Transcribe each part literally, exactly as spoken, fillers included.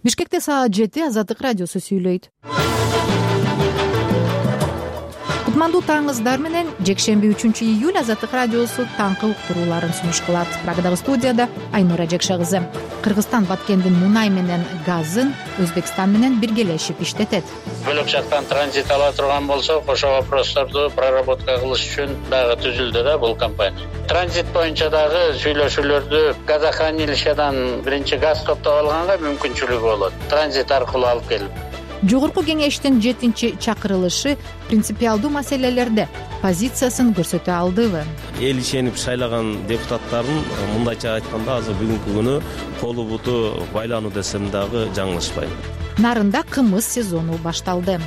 Бишкекте саат жети Азаттык радиосу сүйлөйт. Кутмандуу таңыңыздар менен жекшемби үчүнчү июль Азаттык радиосу таңкы уктурууларын сунуш кылат. Программадагы студияда Айнура Жекше кызы. Кыргызстан Баткендин мунай менен газын Өзбекстан менен биргелешип иштетет. Бөлөк жактан транзит ала турган болсо, ошол вопросторду проработка кылыш үчүн дагы түзүлдү да бул компания. Транзит боюнча дагы сүйлөшүүлөрдү газохранилищедан биринчи газ топтоп алганга мүмкүнчүлүгү болот. Транзит аркылуу алып келип. Жогорку кеңештин жетинчи чакырылышы принципиалдуу маселелерде позициясын көрсөтө алдыбы? Эл ишенип шайлаган депутаттардын мындайча айтканда азыр бүгүнкү күнү колу буту байлануу десем дагы жаңылышпайм. Нарында кымыз сезону башталды.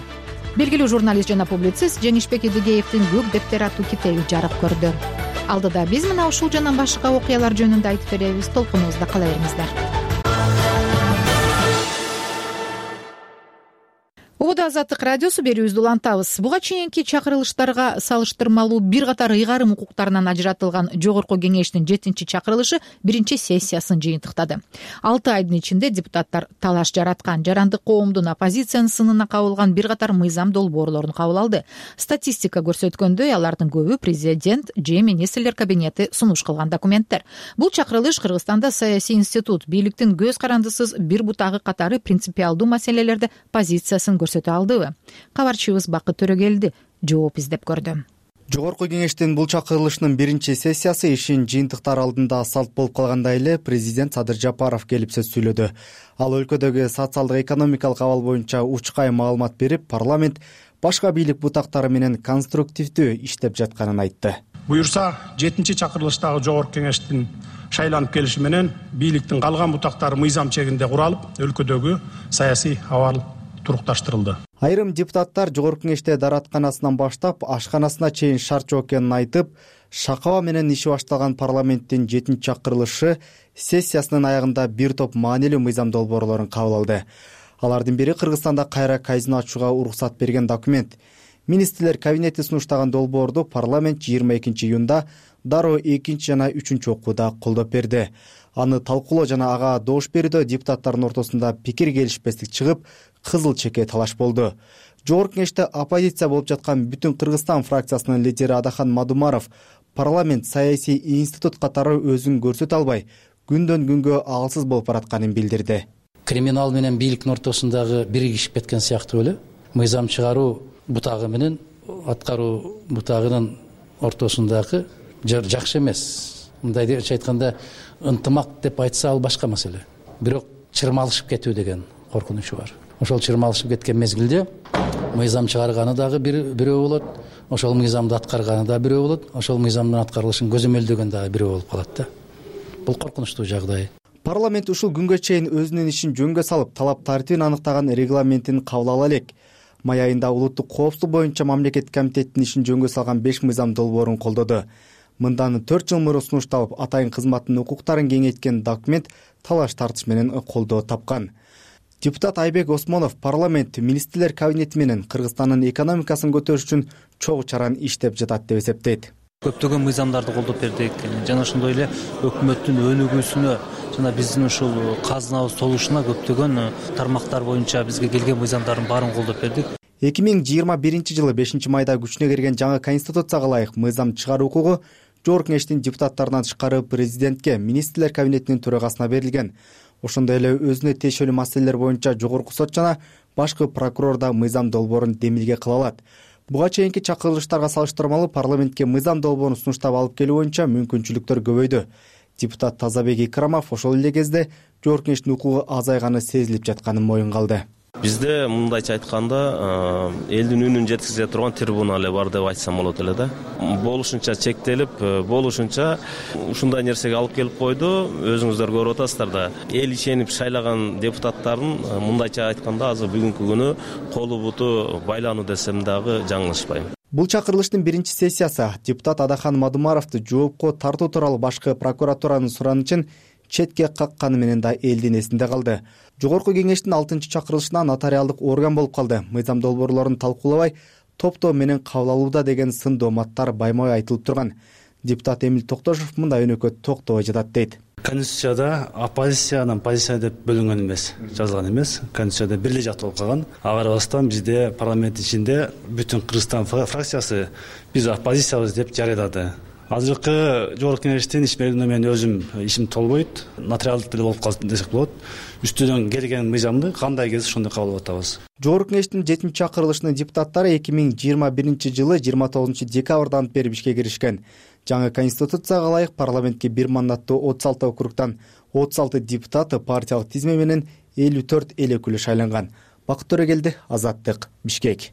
Белгилүү журналист жана публицист Жеңишбек Эдигеевдин көк дептер аттуу китеби жарык көрдү. Алдыда биз мына ушул жана башка окуялар жөнүндө айтып беребиз. Толкунубузда кала бериңиздер. Убада Азаттык радиосу берүүбүздү улантабыз. Буга чейинки чакырылыштарга салыштырмалуу бир катар ыйгарым укуктарынан ажыратылган Жогорку кеңештин жетинчи чакырылышы биринчи сессиясын жыйынтыктады. алты айдын ичинде депутаттар талаш жараткан жарандык коомдун оппозициянын сынына кабылган бир катар мыйзам долбоорлорун кабыл алды. Статистика көрсөткөндөй, алардын көбү президент же министрлер кабинети сунуш кылган документтер. Бул чакырылыш Кыргызстанда саясий институт бийликтин көз карандысыз бир бутагы катары принципиалдуу маселелерде позициясын көрсөтө алдыбы? Кабарчыбыз Бакыт Төрөгелди жооп издеп көрдү. Жогорку кеңештин бул чакырылышынын биринчи сессиясы ишин жыйынтыктар алдында салт болуп калгандай эле президент Садыр Жапаров келип сөз сүйлөдү. Ал өлкөдөгү социалдык экономикалык абал боюнча учкай маалымат берип, парламент башка бийлик бутактары менен конструктивдүү иштеп жатканын айтты. Буюрса, жетинчи чакырылыштагы жогорку кеңештин шайланып келиши менен бийликтин калган бутактары мыйзам чегинде куралып, өлкөдөгү саясий абал турукташтырылды. Айрым депутаттар жогорку кеңеште даратканасынан баштап ашканасына чейин шарт жок экенин айтып, шакаба менен иши башталган парламенттин жетинчи чакырылышы сессиясынын аягында бир топ маанилүү мыйзам долбоорлорун кабыл алды. Алардын бири Кыргызстанда кайра казино ачууга уруксат берген документ. Министрлер кабинети сунуштаган долбоорду парламент жыйырма экинчи июнда дароо экинчи жана үчүнчү окууда колдоп берди. Аны талкуулоо жана ага добуш берүүдө депутаттардын ортосунда пикир келишпестик чыгып, кызыл чеке талаш болду. Жогорку кеңеште оппозиция болуп жаткан Бүтүн Кыргызстан фракциясынын лидери Адахан Мадумаров парламент саясий институт катары өзүн көрсөтө албай, күндөн күнгө алсыз болуп баратканын билдирди. Криминал менен бийликтин ортосундагы биригишип кеткен сыяктуу эле. Мыйзам чыгаруу бутагы менен аткаруу бутагынын ортосундагы жакшы эмес. Мындайча айтканда ынтымак деп айтса ал башка маселе. Бирок чырмалышып кетүү деген коркунучу бар. Ошол чырмалышып кеткен мезгилде мыйзам чыгарганы дагы бирөө болот, ошол мыйзамды аткарганы да бирөө болот, ошол мыйзамдын аткарылышын көзөмөлдөгөн дагы бирөө болуп калат да. Бул коркунучтуу жагдай. Парламент ушул күнгө чейин өзүнүн ишин жөнгө салып, талап тартибин аныктаган регламентин кабыл ала элек. Май айында улуттук коопсуздук боюнча мамлекет комитетинин ишин жөнгө салган беш мыйзам долбоорун колдоду. Мындан төрт жыл мурун сунушталып, атайын кызматтын укуктарын кеңейткен документ талаш тартыш менен колдоо тапкан. Депутат Айбек Осмонов парламент министрлер кабинети менен Кыргызстандын экономикасын көтөрүш үчүн чогуу чаран иштеп жатат деп эсептейт. Көптөгөн мыйзамдарды колдоп бердик жана ошондой эле өкмөттүн өнүгүүсүнө жана биздин ушул казынабыз толушуна көптөгөн тармактар боюнча бизге келген мыйзамдардын баарын колдоп бердик. эки миң жыйырма биринчи жылы бешинчи майда күчүнө кирген жаңы конституцияга ылайык мыйзам чыгаруу укугу жогорку кеңештин депутаттарынан тышкары президентке, министрлер кабинетинин төрагасына берилген. Ошондой эле өзүнө тиешелүү маселелер боюнча жогорку сот жана башкы прокурор да мыйзам долбоорун демилге кыла алат. Буга чейинки чакырылыштарга салыштырмалуу парламентке мыйзам долбоорун сунуштап алып келүү боюнча мүмкүнчүлүктөр көбөйдү. Депутат Тазабек Икрамов ошол эле кезде жогорку кеңештин укугу азайганы сезилип жатканын моюнга алды. Бизде мындайча айтканда элдин үнүн жеткизе турган трибуна эле бар деп айтсам болот эле да. Болушунча чектелип, болушунча ушундай нерсеге алып келип койду. Өзүңүздөр көрүп атасыздар да. Эл ишенип шайлаган депутаттардын мындайча айтканда азыр бүгүнкү күнү колу буту байлануу десем дагы жаңылышпайм. Бул чакырылыштын биринчи сессиясы депутат Адахан Мадумаровду жоопко тартуу тууралуу башкы прокуратуранын суранычын четке какканы менен да элдин эсинде калды. Жогорку кеңештин алтынчы чакырылышына нотариалдык орган болуп калды. Мыйзам долбоорлорун талкуулабай, топтоо менен кабыл алууда деген сын дооматтар байма-бай айтылып турган. Депутат Эмил Токтошов мындай өнөкөт токтобой жатат дейт. Конституцияда оппозициянын позиция деп бөлүнгөн эмес, жазылган эмес. Конституцияда бир эле жактуу болуп калган. Ага карабастан бизде парламент ичинде бүтүн Кыргызстан фракциясы биз оппозициябыз деп жарыялады. Азыркы жогорку кеңештин иш мерзимине мен өзүм ишим толбойт, нотариалдык деле болуп калды десек болот. Үстүнөн келген мыйзамды кандай келсе ошондой кабыл алып атабыз. Жогорку кеңештин жетинчи чакырылышынын депутаттары эки миң жыйырма биринчи жылы жыйырма тогузунчу декабрдан бери ишке киришкен. Жаңы конституцияга ылайык парламентке бир мандаттуу отуз алты округдан отуз алты депутаты партиялык тизме менен элүү төрт эл өкүлү шайланган. Бакыт Төрөгелди, Азаттык, Бишкек.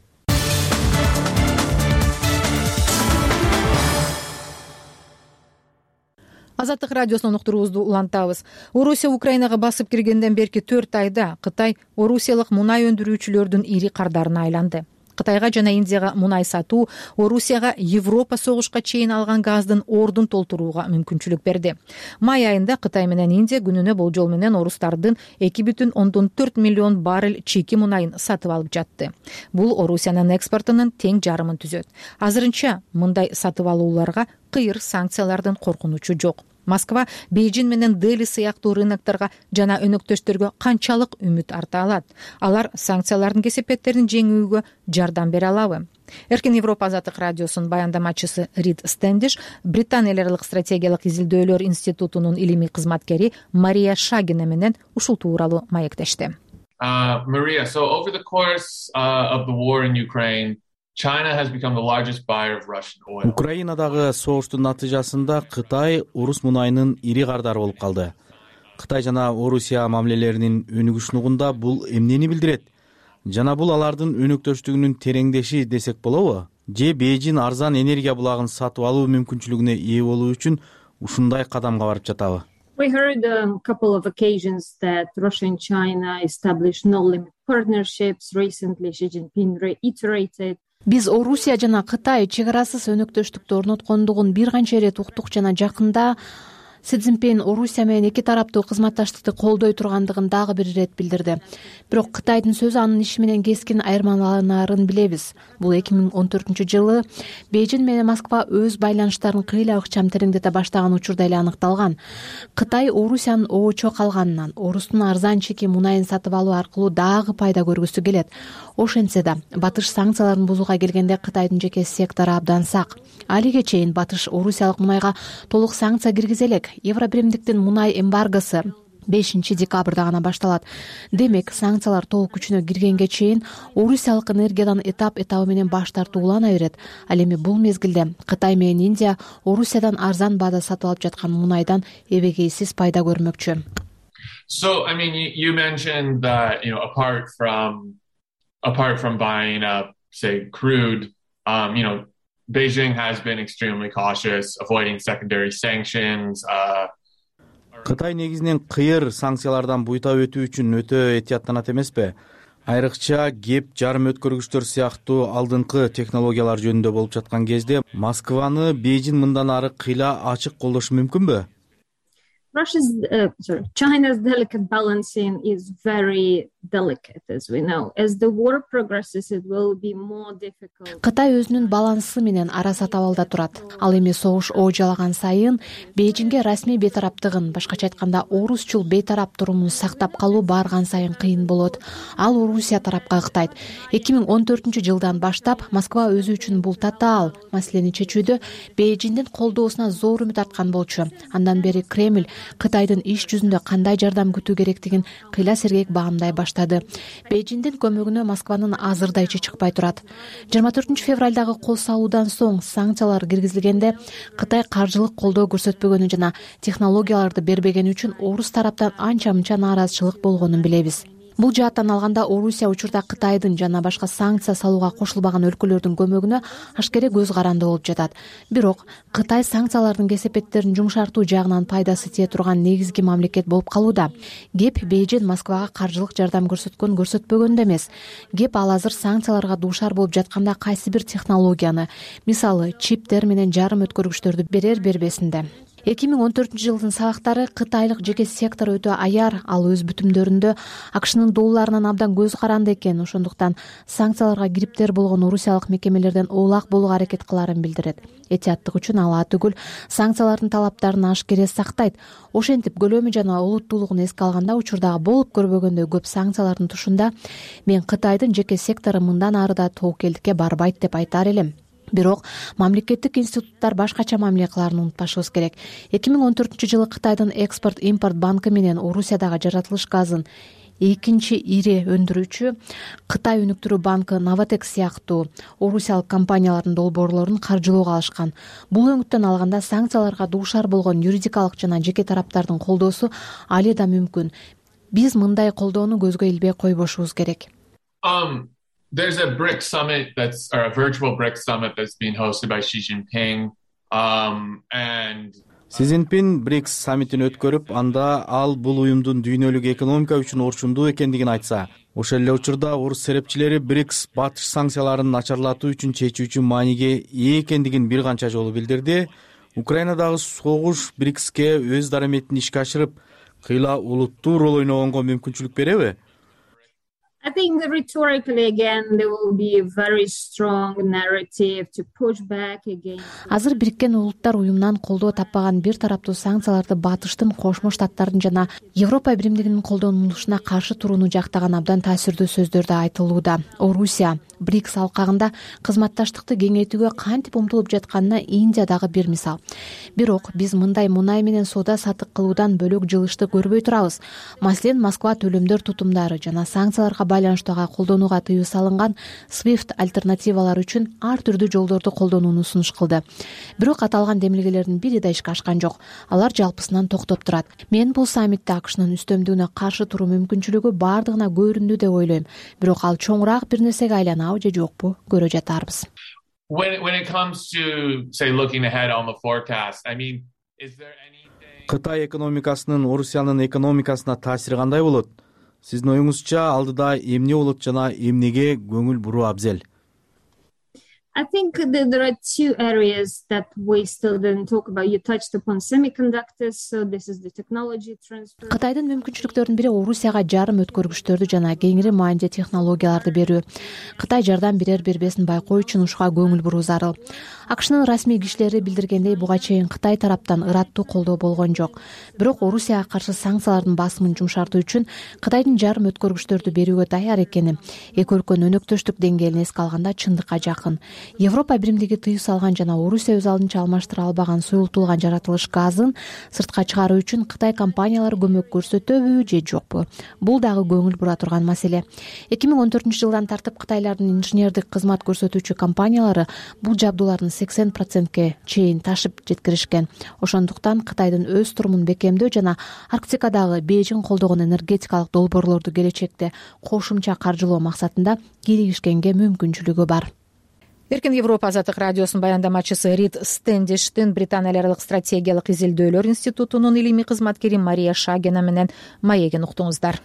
Азаттык радиосунун уктуруубузду улантабыз. Орусия Украинага басып киргенден берки төрт айда Кытай орусиялык мунай өндүрүүчүлөрдүн ири кардарына айланды. Кытайга жана Индияга мунай сатуу Орусияга Европа согушка чейин алган газдын ордун толтурууга мүмкүнчүлүк берди. Май айында Кытай менен Индия күнүнө болжол менен орустардын эки бүтүн ондон төрт миллион баррель чийки мунайын сатып алып жатты. Бул Орусиянын экспортунун тең жарымын түзөт. Азырынча мындай сатып алууларга кыйыр санкциялардын коркунучу жок. Москва Бейжин менен Дели сыяктуу рынокторго жана өнөктөштөргө канчалык үмүт арта алат? Алар санкциялардын кесепеттерин жеңүүгө жардам бере алабы? Эркин Европа Азаттык радиосунун баяндамачысы Рид Стендиш Британ эл аралык стратегиялык изилдөөлөр институтунун илимий кызматкери Мария Шагина менен ушул тууралуу маектешти. Uh, Maria, so over the course uh, of the war in Ukraine, China has become the largest buyer of Russian oil. Украинадагы согуштун натыйжасында Кытай орус мунайынын ири кардары болуп калды. Кытай жана Орусия мамилелеринин өнүгүшүнүгүндө бул эмнени билдирет? Жана бул алардын өнөктөштүгүнүн тереңдеши десек болобу? Же Бейжин арзан энергия булагын сатып алуу мүмкүнчүлүгүнө ээ болуу үчүн ушундай кадамга барып жатабы? We heard on a couple of occasions that Russia and China established no-limit partnerships. Recently, Xi Jinping reiterated. Биз Орусия жана Кытай чек арасыз өнөктөштүктү орноткондугун бир канча ирет уктук жана жакында Си Цзиньпин Орусия менен эки тараптуу кызматташтыкты колдой тургандыгын дагы бир ирет билдирди. Бирок Кытайдын сөзү анын иши менен кескин айырмаланарын билебиз. Бул эки миң он төртүнчү жылы Бейжин менен Москва өз байланыштарын кыйла ыкчам тереңдете баштаган учурда эле аныкталган. Кытай Орусиянын обочо калганынан орустун арзан чеки мунайын сатып алуу аркылуу дагы пайда көргүсү келет. Ошентсе да Батыш санкцияларын бузууга келгенде Кытайдын жеке сектору абдан сак. Алиге чейин Батыш орусиялык мунайга толук санкция киргизе элек. Евробиримдиктин мунай эмбаргосу бешинчи декабрда гана башталат. Демек, санкциялар толук күчүнө киргенге чейин орусиялык энергиядан этап-этабы менен баш тартуу улана берет. Ал эми бул мезгилде Кытай менен Индия Орусиядан арзан баада сатып алып жаткан мунайдан эбегейсиз пайда көрмөкчү. So, I mean, you, you mentioned that, you know, apart from apart from buying up, say, crude, um, you know, Beijing has been extremely cautious, avoiding secondary sanctions. Кытай негизинен кыйыр санкциялардан буйта өтүү үчүн өтө этияттанат эмеспи? Айрыкча кеп жарым өткөргүчтөр сыяктуу алдыңкы технологиялар жөнүндө болуп жаткан кезде Москваны Бейжин мындан ары кыйла ачык колдошу мүмкүнбү? Russia's, uh, sorry, China's delicate balancing is very delicate, as we know. As the war progresses, it will be more difficult. Кытай өзүнүн балансы менен ара сатабалда турат. Ал эми согуш оожалаган сайын Бейжинге расмий бейтараптыгын, башкача айтканда орусчул бейтарап турумун сактап калуу барган сайын кыйын болот. Ал Орусия тарапка ыктайт. эки миң он төртүнчү жылдан баштап Москва өзү үчүн бул татаал маселени чечүүдө Бейжиндин колдоосуна зор үмүт арткан болчу. Андан бери Кремль Кытайдын иш жүзүндө кандай жардам күтүү керектигин кыйла сергек баамдай баштады. Бейжиндин көмөгүнө Москванын азырда ичи чыкпай турат. жыйырма төртүнчү февралдагы кол салуудан соң санкциялар киргизилгенде Кытай каржылык колдоо көрсөтпөгөнү жана технологияларды бербегени үчүн орус тараптан анча-мынча нааразычылык болгонун билебиз. Бул жааттан алганда Орусия учурда Кытайдын жана башка санкция салууга кошулбаган өлкөлөрдүн көмөгүнө ашкере көз каранды болуп жатат. Бирок Кытай санкциялардын кесепеттерин жумшартуу жагынан пайдасы тие турган негизги мамлекет болуп калууда. Кеп Бейжин Москвага каржылык жардам көрсөткөн көрсөтпөгөндө эмес. Кеп ал азыр санкцияларга дуушар болуп жатканда кайсы бир технологияны, мисалы, чиптер менен жарым өткөргүчтөрдү берер бербесинде. эки миң он төртүнчү жылдын сабактары кытайлык жеке сектор өтө аяр, ал өз бүтүмдөрүндө акшнын долларынан абдан көз каранды экен, ошондуктан санкцияларга кириптер болгон орусиялык мекемелерден оолак болууга аракет кылаарын билдирет. Этияттык үчүн ал атүгүл санкциялардын талаптарын ашкере сактайт. Ошентип көлөмү жана олуттуулугун эске алганда учурдагы болуп көрбөгөндөй көп санкциялардын тушунда мен Кытайдын жеке сектору мындан ары да тобокелдикке барбайт деп айтар элем. Бирок мамлекеттик институттар башкача мамиле кылаарын унутпашыбыз керек. эки миң он төртүнчү жылы Кытайдын Экспорт-импорт банкы менен Орусиядагы жаратылыш газын экинчи ири өндүрүүчү Кытай өнүктүрүү банкы Новотек сыяктуу орусиялык компаниялардын долбоорлорун каржылоого алышкан. Бул өңүттөн алганда санкцияларга дуушар болгон юридикалык жана жеке тараптардын колдоосу али да мүмкүн. Биз мындай колдоону көзгө илбей койбошубуз керек. Um, there's a BRICS summit that's, or a virtual BRICS summit that's being hosted by Xi Jinping, um, and Си Цзиньпин брикс саммитин өткөрүп, анда ал бул уюмдун дүйнөлүк экономика үчүн орчундуу экендигин айтса, ошол эле учурда орус серепчилери брикс батыш санкцияларын начарлатуу үчүн чечүүчү мааниге ээ экендигин бир канча жолу билдирди. Украинадагы согуш брикске өз дараметин ишке ашырып, кыйла улуттуу роль ойногонго мүмкүнчүлүк береби? I think rhetorically again there will be a very strong narrative to push back against. Азыр Бириккен Улуттар уюмунан колдоо таппаган бир тараптуу санкцияларды Батыштын, Кошмо Штаттардын жана Европа биримдигинин колдонулушуна каршы турууну жактаган абдан таасирдүү сөздөр да айтылууда. Орусия брикс алкагында кызматташтыкты кеңейтүүгө кантип умтулуп жатканына Индия дагы бир мисал. Бирок биз мындай мунай менен соода саттык кылуудан бөлөк жылышты көрбөй турабыз. Маселен, Москва төлөмдөр тутумдары жана санкцияларга байланыштуу колдонууга тыюу салынган свифт альтернативалар үчүн ар түрдүү жолдорду колдонууну сунуш кылды. Бирок аталган демилгелердин бири да ишке ашкан жок. Алар жалпысынан токтоп турат. Мен бул саммитте акшнын үстөмдүгүнө каршы туруу мүмкүнчүлүгү бардыгына көрүндү деп ойлойм. Бирок ал чоңураак бир нерсеге айланабы же жокпу көрө жатарбыз. When when it comes to say looking ahead on the forecast, I mean, is there anything Кытай экономикасынын Орусиянын экономикасына таасири кандай болот? Сиздин оюңузча алдыда эмне болот жана эмнеге көңүл буруу абзел? I think that there are two areas that we still didn't talk about. You touched upon semiconductors, so this is the technology transfer. Кытайдын мүмкүнчүлүктөрүнүн бири Орусияга жарым өткөргүчтөрдү жана кеңири маанилде технологияларды берүү. Кытай жардам берер бербесин байкоо үчүн ушуга көңүл буруу зарыл. Акшнын расмий кишилери билдиргендей, буга чейин Кытай тараптан ыраттуу колдоо болгон жок. Бирок Орусияга каршы санкциялардын басымын жумшартуу үчүн Кытайдын жарым өткөргүчтөрдү берүүгө даяр экени эки өлкөнүн өнөктөштүк деңгээлин эске алганда чындыкка жакын. Европа биримдиги тыюу салган жана Орусия өз алдынча алмаштыра албаган суюлтулган жаратылыш газын сыртка чыгаруу үчүн Кытай компаниялары көмөк көрсөтөбү же жокпу? Бул дагы көңүл бура турган маселе. эки миң он төртүнчү жылдан тартып Кытайлардын инженердик кызмат көрсөтүүчү компаниялары бул жабдуулардын сексен процентке чейин ташып жеткиришкен. Ошондуктан Кытайдын өз турумун бекемдөө жана Арктикадагы Бейжиң колдогон энергетикалык долбоорлорду келечекте кошумча каржылоо максатында кийлигишкенге мүмкүнчүлүгү бар. Эркин Европа азаттык радиосунун баяндамачысы Рид Стэндиштин Британия аралык стратегиялык изилдөөлөр институтунун илимий кызматкери Мария Шагена менен маегин уктуңуздар.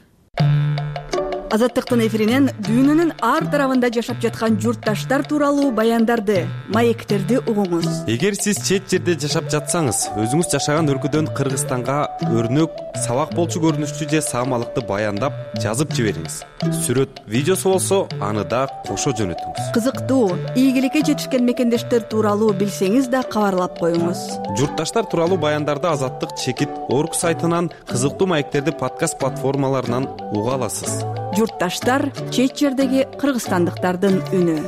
Азаттыктын эфиринен дүйнөнүн ар тарабында жашап жаткан журтташтар тууралуу баяндарды, маектерди угуңуз. Эгер сиз чет жерде жашап жатсаңыз, өзүңүз жашаган өлкөдөн Кыргызстанга өрнөк, сабак болчу көрүнүштүү же саамалыкты баяндап, жазып жибериңиз. Сүрөт, видеосу болсо, аны да кошо жөнөтүңүз. Кызыктуу, ийгиликке жетишкен мекендештер тууралуу билсеңиз да кабарлап коюңуз. Журтташтар тууралуу баяндарды Азаттык чекит орг сайтынан, кызыктуу маектерди подкаст платформаларынан уга аласыз. Журтташтар чет жердеги кыргызстандыктардын үнү.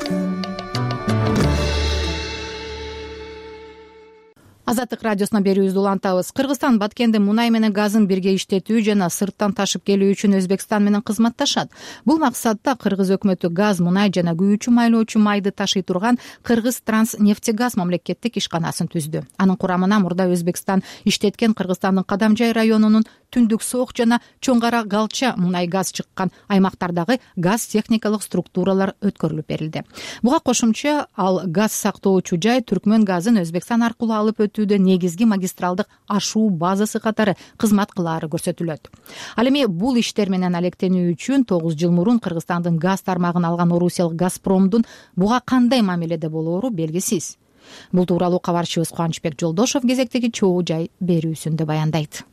Азаттык радиосуна берүүбүздү улантабыз. Кыргызстан Баткенде мунай менен газын бирге иштетүү жана сырттан ташып келүү үчүн Өзбекстан менен кызматташат. Бул максатта кыргыз өкмөтү газ, мунай жана күйүүчү майлоочу майды ташый турган Кыргыз Транснефтегаз мамлекеттик ишканасын түздү. Анын курамына мурда Өзбекстан иштеткен Кыргызстандын Кадамжай районунун Түндүк Соок жана Чоң Кара Галча мунай газ чыккан аймактардагы газ техникалык структуралар өткөрүлүп берилди. Буга кошумча ал газ сактоочу жай Түркмөн газын Өзбекстан аркылуу алып өтүүдө негизги магистралдык ашуу базасы катары кызмат кылаары көрсөтүлөт. Ал эми бул иштер менен алектенүү үчүн тогуз жыл мурун Кыргызстандын газ тармагын алган орусиялык Газпромдун буга кандай мамиледе болоору белгисиз. Бул тууралуу кабарчыбыз Кубанычбек Жолдошов кезектеги чогуу жай берүүсүндө баяндайт.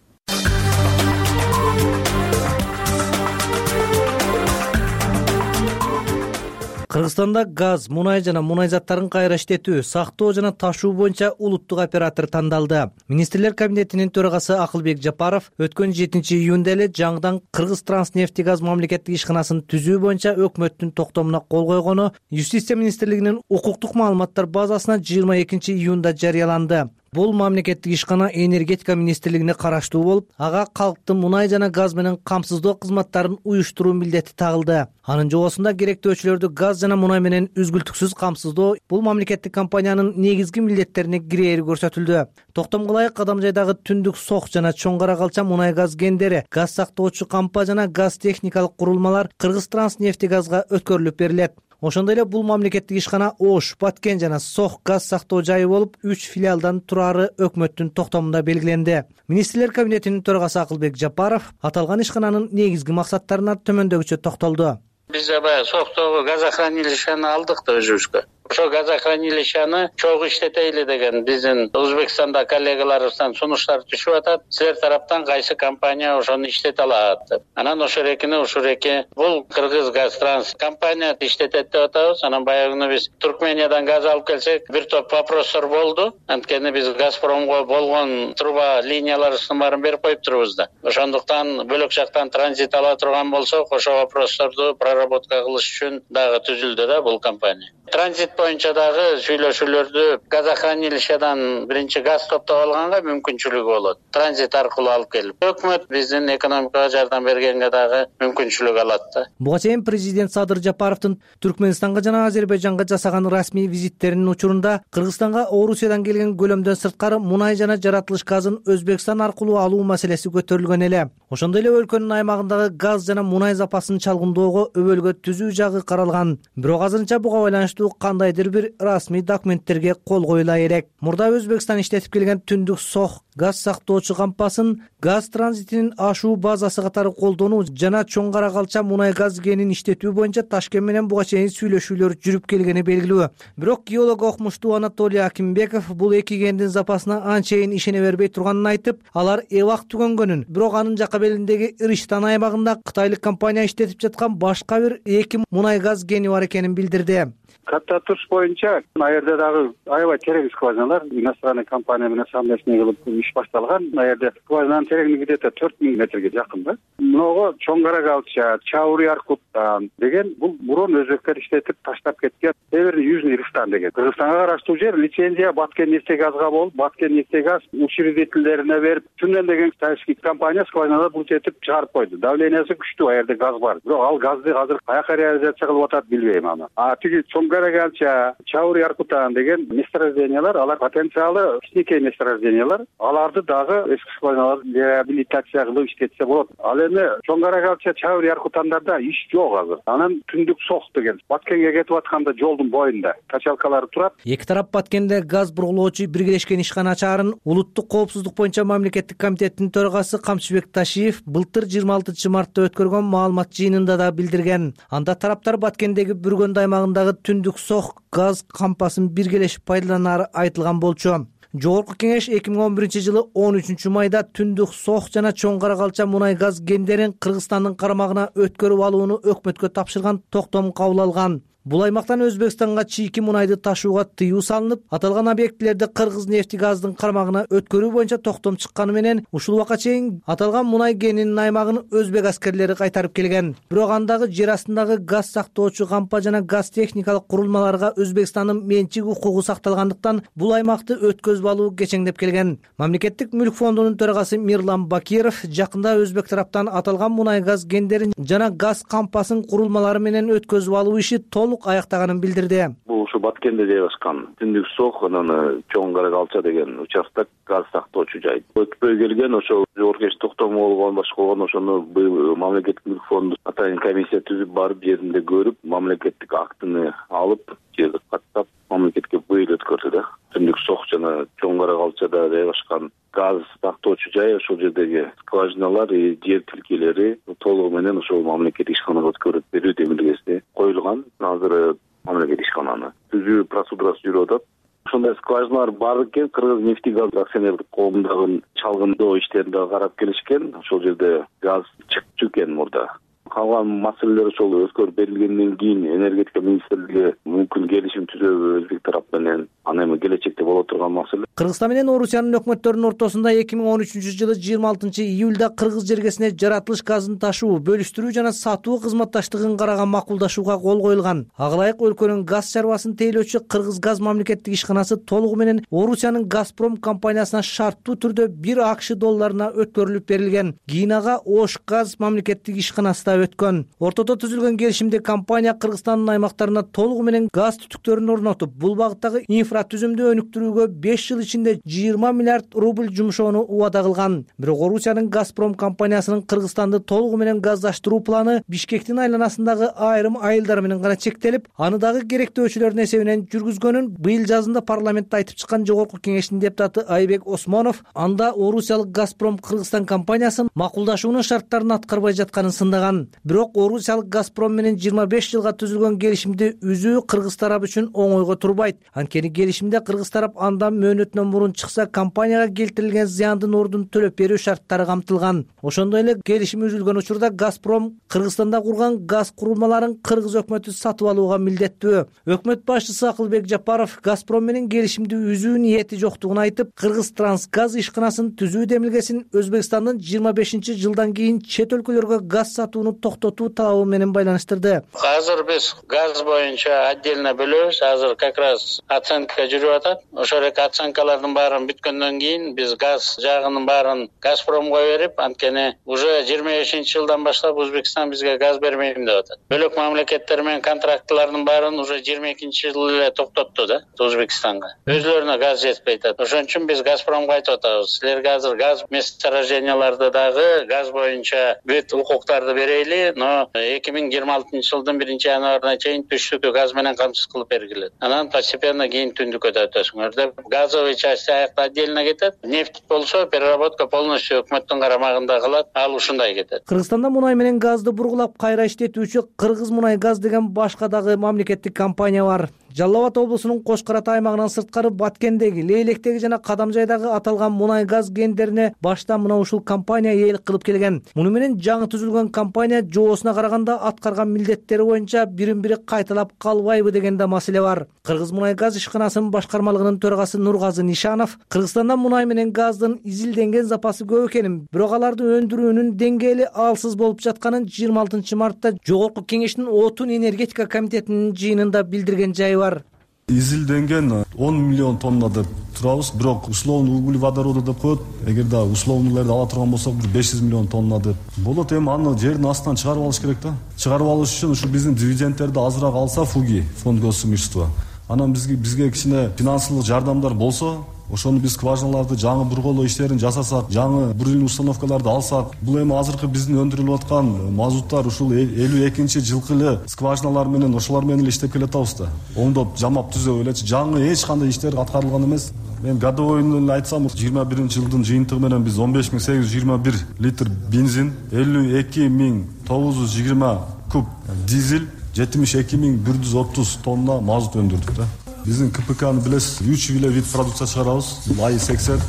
Кыргызстанда газ, мунай жана мунай заттарын кайра иштетүү, сактоо жана ташуу боюнча улуттук оператор тандалды. Министрлер кабинетинин төрагасы Акылбек Жапаров өткөн жетинчи июнда эле жаңыдан Кыргызтранснефтегаз мамлекеттик ишканасын түзүү боюнча өкмөттүн токтомуна кол койгону Юстиция министрлигинин укуктук маалыматтар базасына жыйырма экинчи июнда жарыяланды. Бул мамлекеттик ишкана энергетика министрлигине караштуу болуп, ага калктын мунай жана газ менен камсыздоо кызматтарын уюштуруу милдети тагылды. Анын жобосунда керектөөчүлөрдү газ жана мунай менен үзгүлтүксүз камсыздоо бул мамлекеттик компаниянын негизги милдеттерине кирээри көрсөтүлдү. Токтомго ылайык Кадамжайдагы Түндүк Сох жана Чоң Кара Калча мунай газ кендери, газ сактоочу кампа жана газ техникалык курулмалар Кыргызтранснефтегазга өткөрүлүп берилет. Ошондой эле бул мамлекеттик ишкана Ош, Баткен жана Сох газ сактоо жайы болуп, үч филиалдан турары өкмөттүн токтомунда белгиленди. Министрлер кабинетинин төрагасы Акылбек Жапаров аталган ишкананын негизги максаттарына төмөндөгүчө токтолду. Биз баягы Сохтогу газохранилищени алдык да өзүбүзгө. Ошо газохранилищени чогуу иштетели деген биздин Өзбекстанда коллегаларыбыздан сунуштар түшүп атат. Силер тараптан кайсы компания ошону иштете алат деп. Анан ошол экини ушул эки бул Кыргызгазтранс компания иштетет деп атабыз. Анан баягы биз Туркмениядан газ алып келсек, бир топ вопростор болду. Анткени биз Газпромго болгон труба линияларыбыздын баарын берип коюптурбуз да. Ошондуктан бөлөк жактан транзит ала турган болсок, ошол вопросторду проработка кылыш үчүн дагы түзүлдү да бул компания. Транзит боюнча дагы сүйлөшүүлөрдү газохранилищеден биринчи газ топтоп алганга мүмкүнчүлүгү болот. Транзит аркылуу алып келип, өкмөт биздин экономикага жардам бергенге дагы мүмкүнчүлүк алат да. Буга чейин президент Садыр Жапаровдун Түркменистанга жана Азербайжанга жасаган расмий визиттеринин учурунда Кыргызстанга Орусиядан келген көлөмдөн сырткары мунай жана жаратылыш газын Өзбекстан аркылуу алуу маселеси көтөрүлгөн эле. Ошондой эле өлкөнүн аймагындагы газ жана мунай запасын чалгындоого өбөлгө түзүү жагы каралган. Бирок азырынча буга байланыштуу кандайдыр бир расмий документтерге кол коюла элек. Мурда Өзбекстан иштетип келген Түндүк Сох газ сактоочу кампасын газ транзитинин ашуу базасы катары колдонуу жана Чоң Кара Калча мунай газ кенин иштетүү боюнча Ташкент менен буга чейин сүйлөшүүлөр жүрүп келгени белгилүү. Бирок геолог окумуштуу Анатолий Акимбеков бул эки кендин запасына анчейин ишене бербей турганын айтып, алар эбак түгөнгөнүн, бирок анын жакка белиндеги Ириштан аймагында кытайлык компания иштетип жаткан башка бир эки мунай газ кени бар экенин билдирди. Каттатыш боюнча ал жерде дагы аябай терең скважиналар иностранный компания менен совместный кылып иш башталган. Ал жерде скважинанын тереңдиги где-то төрт миң метрге жакын да. Мыного Чоң Кара Калча, Чаури Аркуттан деген бул мурун өзбектер иштетип таштап кеткен Северный Южный Ириштан деген. Кыргызстанга караштуу жер лицензия Баткен нефтегазга болуп, Баткен нефтегаз учредителдерине берип, Түнөн деген кытайский компания скважиналар булчетип чыгарып койду. Давлениясы күчтүү, ал жерде газ бар. Бирок ал газды азыр каяка реализация кылып атат билбейм аны. А тиги Чоң Кара Калча, Чаури Аркутан деген месторождениялар, алар потенциалы кичинекей месторождениялар. Аларды дагы эски скважиналар реабилитация кылып иштетсе болот. Ал эми Чоң Кара Калча, Чаури Аркутандарда иш жок азыр. Анан Түндүк Сох деген Баткенге кетип атканда жолдун боюнда качалкалары турат. Эки тарап Баткенде газ бургулоочу биргелешкен ишкана ачаарын улуттук коопсуздук боюнча мамлекеттик комитеттин төрагасы Камчыбек Ташиев былтыр жыйырма алтынчы мартта өткөргөн маалымат жыйынында да билдирген. Анда тараптар Баткендеги Бүргөнд аймагындагы Түндүк Сох газ кампасын биргелешип пайдаланары айтылган болчу. Жогорку кеңеш эки миң он биринчи жылы он үчүнчү майда Түндүк Сох жана Чоң Кара Калча мунай газ кендерин Кыргызстандын карамагына өткөрүп алууну өкмөткө тапшырган токтом кабыл алган. Бул аймактан Өзбекстанга чийки мунайды ташууга тыюу салынып, аталган объектилерди Кыргызнефтегаздын кармагына өткөрүү боюнча токтом чыкканы менен ушул убакка чейин аталган мунай кенинин аймагын өзбек аскерлери кайтарып келген. Бирок андагы жер астындагы газ сактоочу кампа жана газ техникалык курулмаларга Өзбекстандын менчик укугу сакталгандыктан бул аймакты өткөзүп алуу кечеңдеп келген. Мамлекеттик мүлк фондунун төрагасы Мирлан Бакиров жакында өзбек тараптан аталган мунай газ кендерин жана газ кампасын курулмалары менен өткөзүп алуу иши толук аяктаганын билдирди. Бул ушу Баткенде жайгашкан Түндүк Сох анан Чоң Кара Калча деген участок газ сактоочу жай. Өтпөй келген ошол жогорку кеңеш токтому болгон башка болгон ошону быйыл мамлекеттик мүлк фонду атайын комиссия түзүп барып жеринде көрүп, мамлекеттик актыны алып, жерди каттап мамлекетке быйыл өткөрдү да. Түндүк Сох жана Чоң Кара Калчада жайгашкан газ сактоочу жай ошол жердеги скважиналар, жер тилкелери толугу менен ошол мамлекеттик ишканага өткөрүп берүү демилгеси коюлган. Азыр мамлекеттик ишкананы түзүү процедурасы жүрүп атат. Ошондой скважиналар бар экен. Кыргыз нефтегаз акционердик коомундагы чалгындоо иштерин дагы карап келишкен. Ошол жерде газ чыкчу экен мурда. Калган маселелер ошол өткөрүп берилгенден кийин энергетика министрлиги мүмкүн келишим түзөбү өзбек тарап менен, аны эми келечекте боло турган маселе. Кыргызстан менен Орусиянын өкмөттөрүнүн ортосунда эки миң он үчүнчү жылы жыйырма алтынчы июлда кыргыз жергесине жаратылыш газын ташуу, бөлүштүрүү жана сатуу кызматташтыгын караган макулдашууга кол коюлган. Ага ылайык өлкөнүн газ чарбасын тейлөөчү Кыргыз газ мамлекеттик ишканасы толугу менен Орусиянын Газпром компаниясына шарттуу түрдө бир АКШ долларына өткөрүлүп берилген. Кийин ага Ош газ мамлекеттик ишканасы өткөн. Ортодо түзүлгөн келишимде компания Кыргызстандын аймактарына толугу менен газ түтүктөрүн орнотуп, бул багыттагы инфратүзүмдү өнүктүрүүгө беш жыл ичинде жыйырма миллиард рубль жумшоону убада кылган. Бирок Орусиянын Газпром компаниясынын Кыргызстанды толугу менен газдаштыруу планы Бишкектин айланасындагы айрым айылдар менен гана чектелип, аны дагы керектөөчүлөрдүн эсебинен жүргүзгөнүн быйыл жазында парламентте айтып чыккан Жогорку Кеңештин депутаты Айбек Осмонов анда Орусиялык Газпром Кыргызстан компаниясын макулдашуунун шарттарын аткарбай жатканын сындаган. Бирок Орусиялык Газпром менен жыйырма беш жылга түзүлгөн келишимди үзүү кыргыз тарап үчүн оңойго турбайт. Анткени келишимде кыргыз тарап андан мөөнөтүнөн мурун чыкса компанияга келтирилген зыяндын ордун төлөп берүү шарттары камтылган. Ошондой эле келишим үзүлгөн учурда Газпром Кыргызстанда курган газ курулмаларын кыргыз өкмөтү сатып алууга милдеттүү. Өкмөт башчысы Акылбек Жапаров Газпром менен келишимди үзүү ниети жоктугун айтып, Кыргыз-Трансгаз ишканасын түзүү демилгесин Өзбекстандын жыйырма бешинчи жылдан кийин чет өлкөлөргө газ сатууну токтотуу талабы менен байланыштырды. Азыр биз газ боюнча отдельно бөлөбүз. Азыр как раз оценка жүрүп атат. Ошол эки оценкалардын баарын бүткөндөн кийин биз газ жагынын баарын Газпромго берип, анткени уже жыйырма бешинчи жылдан баштап Өзбекстан бизге газ бермейм деп атат. Бөлөк мамлекеттер менен контрактлардын баарын уже жыйырма экинчи жылы эле токтотту да Өзбекстанга. Өзлөрүнө газ жетпей атат. Ошон үчүн биз Газпромго айтып атабыз. Силерге азыр газ месторожденияларды дагы газ боюнча бүт укуктарды берели, но эки миң жыйырма алтынчы жылдын биринчи январына чейин түштүккө газ менен камсыз кылып бергилет. Анан постепенно кийин түндүккө да өтөсүңөр деп газовый часть аякта отдельно кетет. Нефть болсо переработка полностью өкмөттүн карамагында калат. Ал ушундай кетет. Кыргызстанда мунай менен газды бургулап кайра иштетүүчү Кыргыз мунай газ деген башка дагы мамлекеттик компания бар. Жалал Абад облусунун Кош Карата аймагынан сырткары Баткендеги, Лейлектеги жана Кадамжайдагы аталган мунай газ кендерине башта мына ушул компания ээлик кылып келген. Муну менен жаңы түзүлгөн компания жоосуна караганда аткарган милдеттери боюнча бирин-бири кайталап калбайбы деген да маселе бар. Кыргыз мунай газ ишканасынын башкармалыгынын төрагасы Нургазы Нишанов Кыргызстанда мунай менен газдын изилденген запасы көп экенин, бирок аларды өндүрүүнүн деңгээли алсыз болуп жатканын жыйырма алтынчы мартта Жогорку Кеңештин Отун энергетика комитетинин жыйынында билдирген жайы бар. Изилденген он миллион тонна деп турабыз, бирок условный углеводороду деп коет. Эгер да условныйларды ала турган болсок, бир беш жүз миллион тонна деп. Болот, эми аны жердин астынан чыгарып алыш керек да. Чыгарып алыш үчүн ушу биздин дивидендтерди азыраак алса, ФУГИ, фонд госимущества. Анан бизге бизге кичине финансылык жардамдар болсо, ошону биз скважиналарды жаңы бурголоо иштерин жасасак, жаңы бурильный установкаларды алсак, бул эми азыркы биздин өндүрүлүп аткан мазуттар ушул элүү экинчи жылкы эле скважиналар менен ошолор менен эле иштеп келатабыз да. Оңдоп, жамап түзөп элечи, жаңы эч кандай иштер аткарылган эмес. Мен годовойун эле айтсам, жыйырма биринчи жылдын жыйынтыгы менен биз он беш миң сегиз жүз жыйырма бир литр бензин, элүү эки миң тогуз жүз жыйырма куб дизель, жетимиш эки миң бир жүз отуз тонна мазут өндүрдүк да. Биздин КПКны билесиз, үч эле вид продукция чыгарабыз. АИ сексен,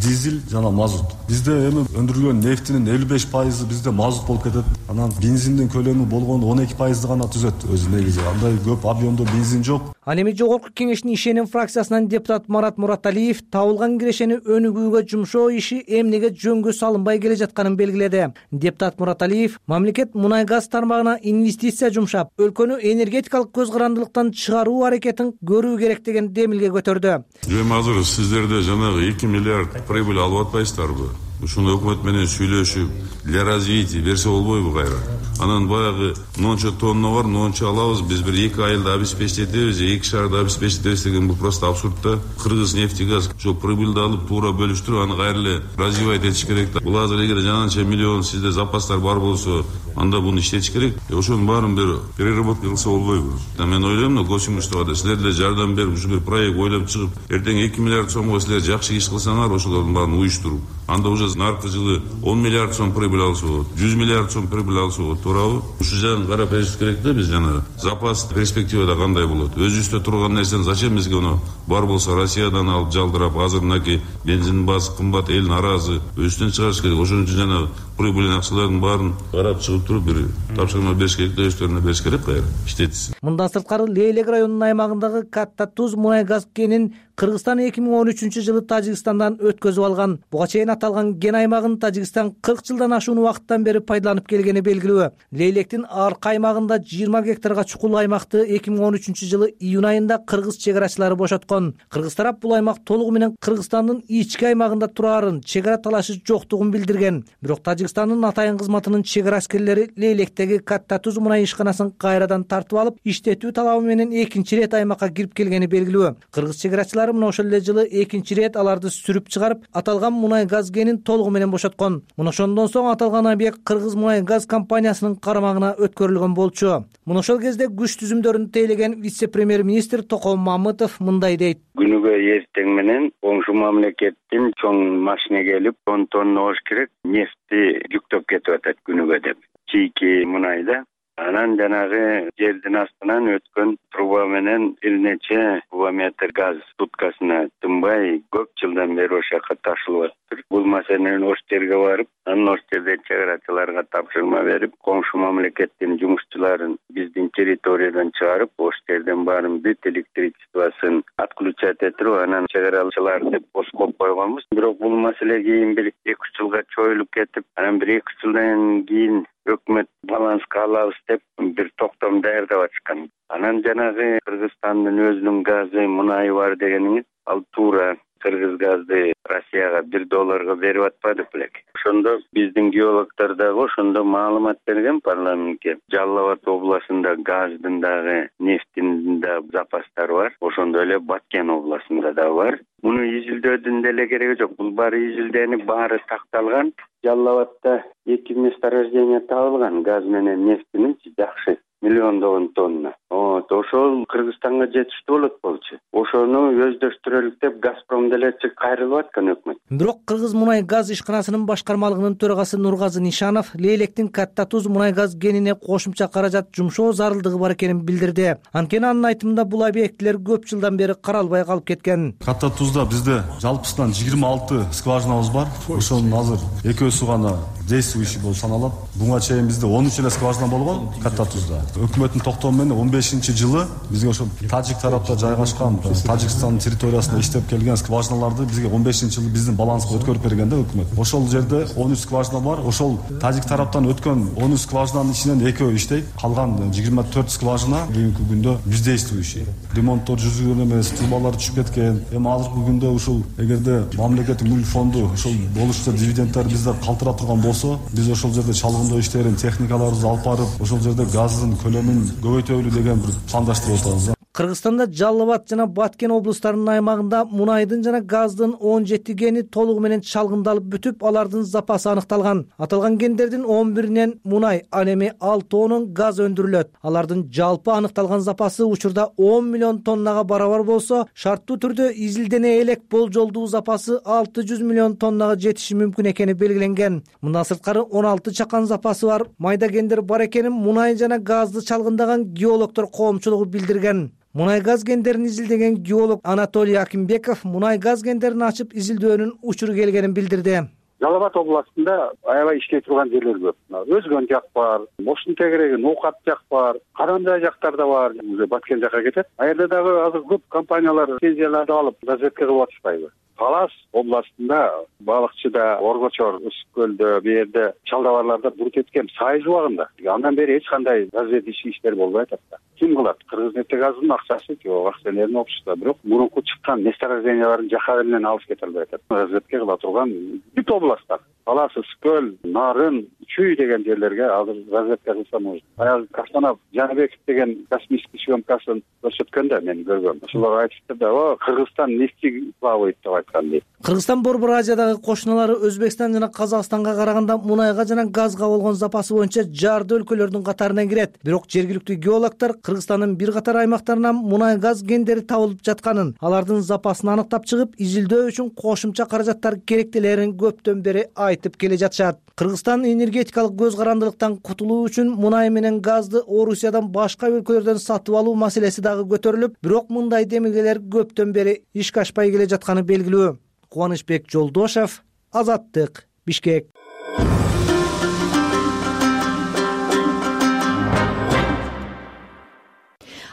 дизель жана мазут. Бизде эми өндүрүлгөн нефтинин элүү беш пайызы бизде мазут болуп кетет. Анан бензиндин көлөмү болгондо он эки пайызды гана түзөт өзү негизи. Андай көп объемдо бензин жок. Ал эми Жогорку Кеңештин ишеним фракциясынан депутат Марат Мураталиев табылган кирешени өнүгүүгө жумшоо иши эмнеге жөнгө салынбай келе жатканын белгиледи. Депутат Мураталиев мамлекет мунай газ тармагына инвестиция жумшап, өлкөнү энергетикалык көз карандылыктан чыгаруу аракетин көрүү керек деген демилге көтөрдү. Эми азыр сиздерде жанагы эки миллиард прибыль алып атпайсыздарбы? Ушуну өкмөт менен сүйлөшүп, для развития берсе болбойбу кайра? Анан баягы монча тонна бар, монча алабыз, биз бир эки айылда обеспечить этебиз, эки шаарда обеспечить этебиз деген бул просто абсурд да. Кыргыз нефтегаз ошо прибыльди алып туура бөлүштүрүп, аны кайра эле развивать этиш керек да. Бул азыр эгер жананча миллион сизде запастар бар болсо, анда буну иштетиш керек. Ошонун баарын бир переработка кылса болбойбу? Мен ойлойм, но госимуществода силер деле жардам берип, ушу бир проект ойлоп чыгып, эртең эки миллиард сомго силер жакшы иш кылсаңар, ошолордун баарын уюштуруп, анда уже наркы жылы он миллиард сом прибыль алса болот, жүз миллиард сом прибыль алса болот, туурабы? Ушул жагын карап бериш керек да. Биз жана запас перспективада кандай болот? Өзүбүздө турган нерсени зачем бизге ону бар болсо Россиядан алып жалдырап, азыр мынакей бензиндин баасы кымбат, эл наразы, өзүбүздөн чыгарыш керек. Ошон үчүн жана прибыль акчалардын баарын карап чыгып туруп бир тапшырма бериш керек да, өздөрүнө бериш керек кайра иштетсин. Мындан сырткары Лейлек районунун аймагындагы Катта Туз мунай газ кенин Кыргызстан эки миң он үчүнчү жылы Тажикстандан өткөзүп алган. Буга чейин аталган кен аймагын Тажикстан кырк жылдан ашуун убакыттан бери пайдаланып келгени белгилүү. Лейлектин аркы аймагында жыйырма гектарга чукул аймакты эки миң он үчүнчү жылы июнь айында кыргыз чек арачылары бошоткон. Кыргыз тарап бул аймак толугу менен Кыргызстандын ички аймагында турарын, чек ара талашы жоктугун билдирген. Бирок Тажикстандын атайын кызматынын чек ара аскерлери Лейлектеги Катта Туз мунай ишканасын кайрадан тартып алып, иштетүү талабы менен экинчи ирет аймакка кирип келгени белгилүү. Кыргыз чек арачылары мына ошол эле жылы экинчи ирет аларды сүрүп чыгарып, аталган мунай газ кенин толугу менен бошоткон. Мына ошондон соң аталган объект Кыргыз мунай газ компаниясынын карамагына өткөрүлгөн болчу. Мына ошол кезде күч түзүмдөрүн тейлеген вице-премьер-министр Током Мамытов мындай дейт. Күнүгө эртең менен коңшу мамлекеттин чоң машина келип он тонна болуш керек нефти жүктөп кетип атат күнүгө деп. Чийки мунайда анан жанагы жердин астынан өткөн труба менен бир нече кубометр газ суткасына тынбай көп жылдан бери ошол жака ташылып атыптыр. Бул маселени ош жерге барып, анан ош жерде чек арачыларга тапшырма берип, коңшу мамлекеттин жумушчуларын биздин территориядан чыгарып, ош жерден баарын бүт электричествосын отключать этирип, анан чек арачылар деп боскоп койгонбуз. Бирок бул маселе кийин бир эки үч жылга чоюлуп кетип, анан бир эки үч жылдан кийин өкмөт баланска алабыз деп бир токтом даярдап атышкан. Анан жанагы Кыргызстандын өзүнүн газы, мунайы бар дегениңиз, ал туура кыргыз газды Россияга бир долларга берип атпады белек. Ошондо биздин геологдор дагы ошондо маалымат берген парламентке. Жалал Абад областында газдын дагы, нефтин да запастары бар. Ошондой эле Баткен областында да бар. Муну изилдөөдүн деле кереги жок. Бул баары изилденip, баары такталган. Жалал Абадта эки месторождение табылган газ менен нефтинин жакшы миллиондогон тонна. Вот, ошол Кыргызстанга жетиштүү болот болчу. Ошону өздөштүрөлүк деп Газпром деле чык кайрылып аткан өкмөт. Бирок Кыргыз мунай газ ишканасынын башкармалыгынын төрагасы Нургазы Нишанов Лейлектин Катта Туз мунай газ кенине кошумча каражат жумшоо зарылдыгы бар экенин билдирди. Анткени анын айтымында бул объектилер көп жылдан бери каралбай калып кеткен. Катта Тузда бизде жалпысынан жыйырма алты скважинабыз бар. Ошонун азыр экөөсү гана действующий болуп саналат. Буга чейин бизде он үч эле скважина болгон Катта Тузда. Өкмөттүн токтому менен он бешинчи жылы бизге ошол Тажик тарапта жайгашкан, Тажикстандын территориясында иштеп келген скважиналарды бизге он бешинчи жылы биздин баланска өткөрүп берген да өкмөт. Ошол жерде он үч скважина бар. Ошол Тажик тараптан өткөн он үч скважинанын ичинен экөө иштейт. Калган жыйырма төрт скважина бүгүнкү күндө бездействующий. Ремонттор жүргүзүлгөн эмес, трубалар түшүп кеткен. Эми азыркы күндө ушул эгерде мамлекеттик мүлк фонду ошол болушча дивидендтер бизде калтыра турган болсо, биз ошол жерде чалгындоо иштерин, техникаларыбызды алып барып, ошол жерде газдын көлөмүн көбөйтөлү деген бир пландаштырып атабыз. Кыргызстанда Жалал Абад жана Баткен облустарынын аймагында мунайдын жана газдын он жети кени толугу менен чалгындалып бүтүп, алардын запасы аныкталган. Аталган кендердин он биринен мунай, ал эми алтыонун газ өндүрүлөт. Алардын жалпы аныкталган запасы учурда он миллион тоннага барабар болсо, шарттуу түрдө изилдене элек болжолдуу запасы алты жүз миллион тоннага жетиши мүмкүн экени белгиленген. Мындан сырткары он алты чакан запасы бар майда кендер бар экенин мунай жана газды чалгындаган геологдор коомчулугу билдирген. Мунай газ кендерин изилдеген геолог Анатолий Акимбеков мунай газ кендерин ачып изилдөөнүн учуру келгенин билдирди. Жалал Абад областында аябай иштей турган жерлер көп. Өзгөн жак бар, Боштун тегереги, Ноокат жак бар, Карандай жактарда бар, Баткен жака кетет. А жерде дагы азыр көп компаниялар лицензияларды алып разведка кылып атышпайбы? Талас областында балыкчыда, Оргочор, Үсүк көлдө, бу жерде чалдабарларда бурут эткен сайыз убагында андан бери эч кандай разведчий иштер болбой атат да. Ким кылат? Кыргызнефтегаздын акчасы жок, акционерный общество. Бирок мурунку чыккан месторождениялардын жакары менен алып кете албай атат. Разведка кыла турган бүт областтар, Талас, Үсүк көл, Нарын, Чүй деген жерлерге азыр разведка кылса может. Аял Кастанов, Жаныбеков деген космический съемкасын көрсөткөндө мен көргөм. Ошолор айтышты да, о, Кыргызстан нефти плавает деп айтышты. жаткан дейт. Кыргызстан Борбор Азиядагы кошуналары Өзбекстан жана Казакстанга караганда мунайга жана газга болгон запасы боюнча жарды өлкөлөрдүн катарына кирет. Бирок жергиликтүү геологдор Кыргызстандын бир катар аймактарынан мунай газ кендери табылып жатканын, алардын запасын аныктап чыгып, изилдөө үчүн кошумча каражаттар керектелерин көптөн бери айтып келе жатышат. Кыргызстан энергетикалык көз карандылыктан кутулуу үчүн мунай менен газды Орусиядан башка өлкөлөрдөн сатып алуу маселеси дагы көтөрүлүп, бирок мындай демилгелер көптөн бери ишке ашпай келе жатканы белгилүү. Кубанычбек Жолдошев, Азаттык, Бишкек.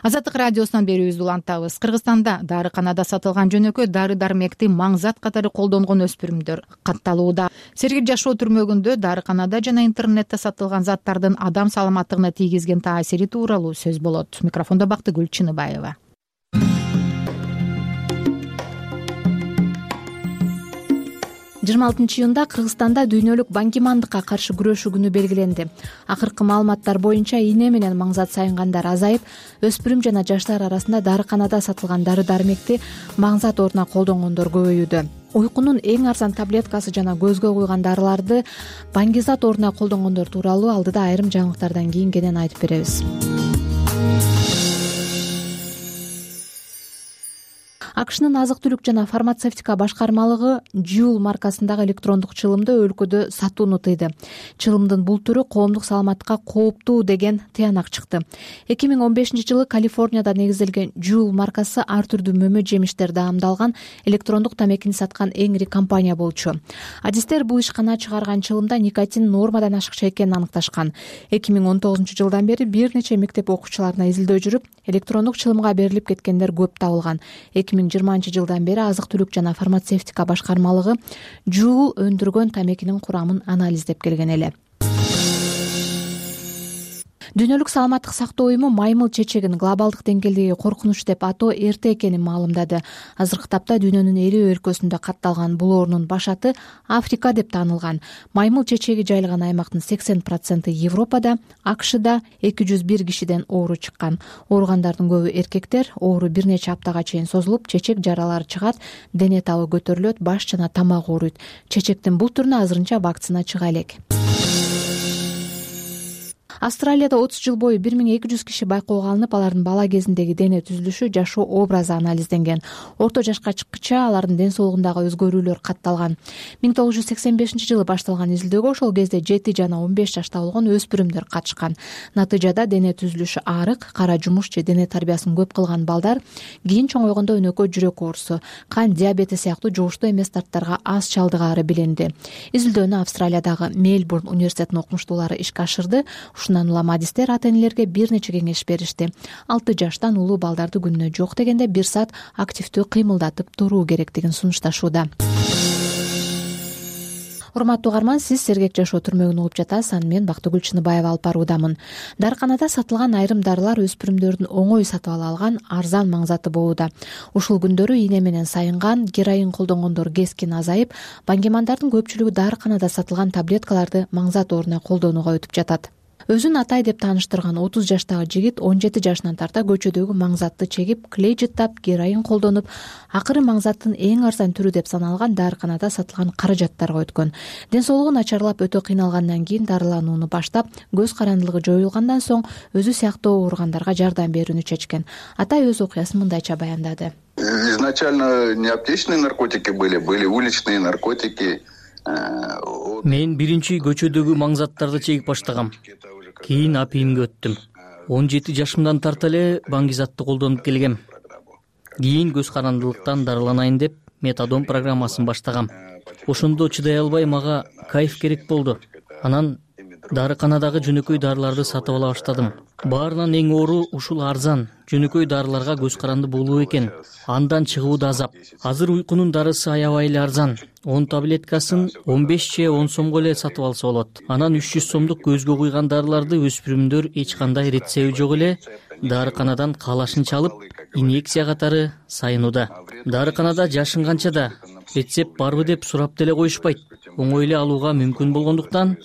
Азаттык радиосунан берүүбүздү улантабыз. Кыргызстанда дарыканада сатылган жөнөкөй дары-дармекти маңзат катары колдонгон өспүрүмдөр катталууда. Сергек жашоо түрмөгүндө дарыканада жана интернетте сатылган заттардын адам саламаттыгына тийгизген таасири тууралуу сөз болот. Микрофондо Бактыгүл Чыныбаева. жыйырма алтынчы июнда Кыргызстанда дүйнөлүк баңгимандыкка каршы күрөшүү күнү белгиленди. Акыркы маалыматтар боюнча ийне менен маңзат сайынгандар азайып, өспүрүм жана жаштар арасында дарыканада сатылган дары-дармекти маңзат ордуна колдонгондор көбөйүүдө. Уйкунун эң арзан таблеткасы жана көзгө куйган дарыларды баңгизат ордуна колдонгондор тууралуу алдыда айрым жаңылыктардан кийин кенен айтып беребиз. АКШнын азык-түлүк жана фармацевтика башкармалыгы Juul маркасындагы электрондук чылымды өлкөдө сатууну тыйды. Чылымдын бул түрү коомдук саламатка кооптуу деген тыянак чыкты. эки миң он бешинчи жылы Калифорнияда негизделген Juul маркасы ар түрдүү мөмө жемиштер даамдалган электрондук тамекини саткан эң ири компания болчу. Адистер бул ишкана чыгарган чылымда никотин нормадан ашыкча экенин аныкташкан. эки миң он тогузунчу жылдан бери бир нече мектеп окуучуларына изилдөө жүрүп, электрондук чылымга берилип кеткендер көп табылган. эки миң жыйырманчы жылдан бери азык-түлүк жана фармацевтика башкармалыгы Juul өндүргөн тамекинин курамын анализдеп келген эле. Дүйнөлүк саламаттык сактоо уюму маймыл чечегин глобалдык деңгээлдеги коркунуч деп атоо эрте экенин маалымдады. Азыркы тапта дүйнөнүн элүү өлкөсүндө катталган бул оорунун башаты Африка деп таанылган. Маймыл чечеги жайылган аймактын сексен проценти Европада, АКШда эки жүз бир кишиден оору чыккан. Ооругандардын көбү эркектер. Оору бир нече аптага чейин созулуп, чечек жаралары чыгат, дене табы көтөрүлөт, баш жана тамак ооруйт. Чечектин бул түрүнө азырынча вакцина чыга элек. Австралияда отуз жыл бою бир миң эки жүз киши байкоого алынып, алардын бала кезиндеги дене түзүлүшү, жашоо образы анализденген. Орто жашка чыккыча алардын ден соолугундагы өзгөрүүлөр катталган. миң тогуз жүз сексен бешинчи жылы башталган изилдөөгө ошол кезде жети жана он беш жашта болгон өспүрүмдөр катышкан. Натыйжада дене түзүлүшү арык, кара жумуш же дене тарбиясын көп кылган балдар кийин чоңойгондо өнөкөй жүрөк оорусу, кан диабети сыяктуу жугуштуу эмес дарттарга аз чалдыгаары билинди. Изилдөөнү Австралиядагы Мельбурн университетинин окумуштуулары ишке ашырды. Ушундан улам адистер ата-энелерге бир нече кеңеш беришти. алты жаштан улуу балдарды күнүнө жок дегенде бир саат активдүү кыймылдатып туруу керектигин сунушташууда. Урматтуу угарман, сиз Сергек жашоо түрмөгүн угуп жатасыз. Аны мен Бактыгүл Чыныбаева алып баруудамын. Дарыканада сатылган айрым дарылар өспүрүмдөрдүн оңой сатып ала алган арзан маңзаты болууда. Ушул күндөрү ийне менен сайынган, героин колдонгондор кескин азайып, баңгимандардын көпчүлүгү дарыканада сатылган таблеткаларды маңзат ордуна колдонууга өтүп жатат. Өзүн Атай деп тааныштырган отуз жаштагы жигит он жети жашынан тарта көчөдөгү маңзатты чегип, клей жыттап, героин колдонуп, акыры маңзаттын эң арзан түрү деп саналган дарыканада сатылган каражаттарга өткөн. Ден соолугу начарлап өтө кыйналгандан кийин дарыланууну баштап, көз карандылыгы жоюлгандан соң өзү сыяктуу ооругандарга жардам берүүнү чечкен. Атай өз окуясын мындайча баяндады. Изначально не аптечные наркотики были, были уличные наркотики. Мен биринчи көчөдөгү маңзаттарды чегип баштагам. Кийин апийимге өттүм. он жети жашымдан тарта эле баңгизатты колдонуп келгем. Кийин көз карандылыктан дарыланайын деп метадон программасын баштагам. Ошондо чыдай албай мага кайф керек болду. Анан дарыканадагы жөнөкөй дарыларды сатып ала баштадым. Баарынан эң оору ушул арзан жөнөкөй дарыларга көз каранды болуу экен. Андан чыгуу да азап. Азыр уйкунун дарысы аябай эле арзан. он таблеткасын он беш же он сомго эле сатып алса болот. Анан үч жүз сомдук көзгө куйган дарыларды өспүрүмдөр эч кандай рецепти жок эле дарыканадан каалашын чалып, инъекция катары сайынууда. Дарыканада жашынганча да рецепт барбы деп сурап деле коюшпайт. Оңой эле алууга мүмкүн болгондуктан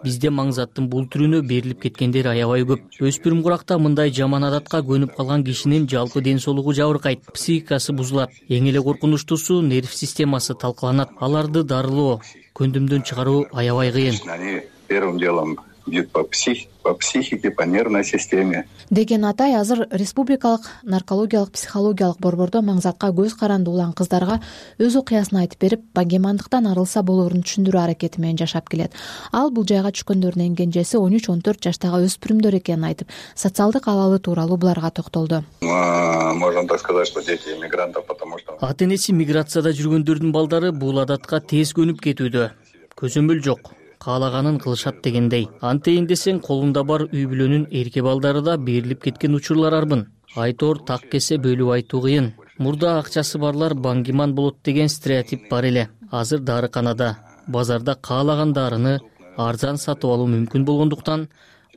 бизде маңзаттын бул түрүнө берилип кеткендер аябай көп. Өспүрүм куракта мындай жаман адатка көнүп калган кишинин жалпы ден соолугу жабыркайт, психикасы бузулат. Эң эле коркунучтуусу нерв системасы талкаланат. Аларды дарылоо, көндүмдөн чыгаруу аябай кыйын. Первым делом бьют по психике, по психике, по нервной системе. Деген Атай азыр республикалык наркологиялык психологиялык борбордо маңзатка көз каранды улан кыздарга өз окуясын айтып берип, баңгемандыктан арылса болоорун түшүндүрүү аракети менен жашап келет. Ал бул жайга түшкөндөрдүн эң кенжеси он үч он төрт жаштагы өспүрүмдөр экенин айтып, социалдык абалы тууралуу буларга токтолду. Можно так сказать, что дети иммигрантов, потому что ата энеси миграцияда жүргөндөрдүн балдары бул адатка тез көнүп кетүүдө. Көзөмөл жок, каалаганын кылышат дегендей. Антейин десең, колунда бар үй бүлөнүн эрке балдары да берилип кеткен учурлар арбын. Айтор так кесе бөлүп айтуу кыйын. Мурда акчасы барлар баңгиман болот деген стереотип бар эле. Азыр дарыканада, базарда каалаган дарыны арзан сатып алуу мүмкүн болгондуктан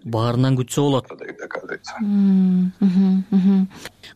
баарынан күтсө болот.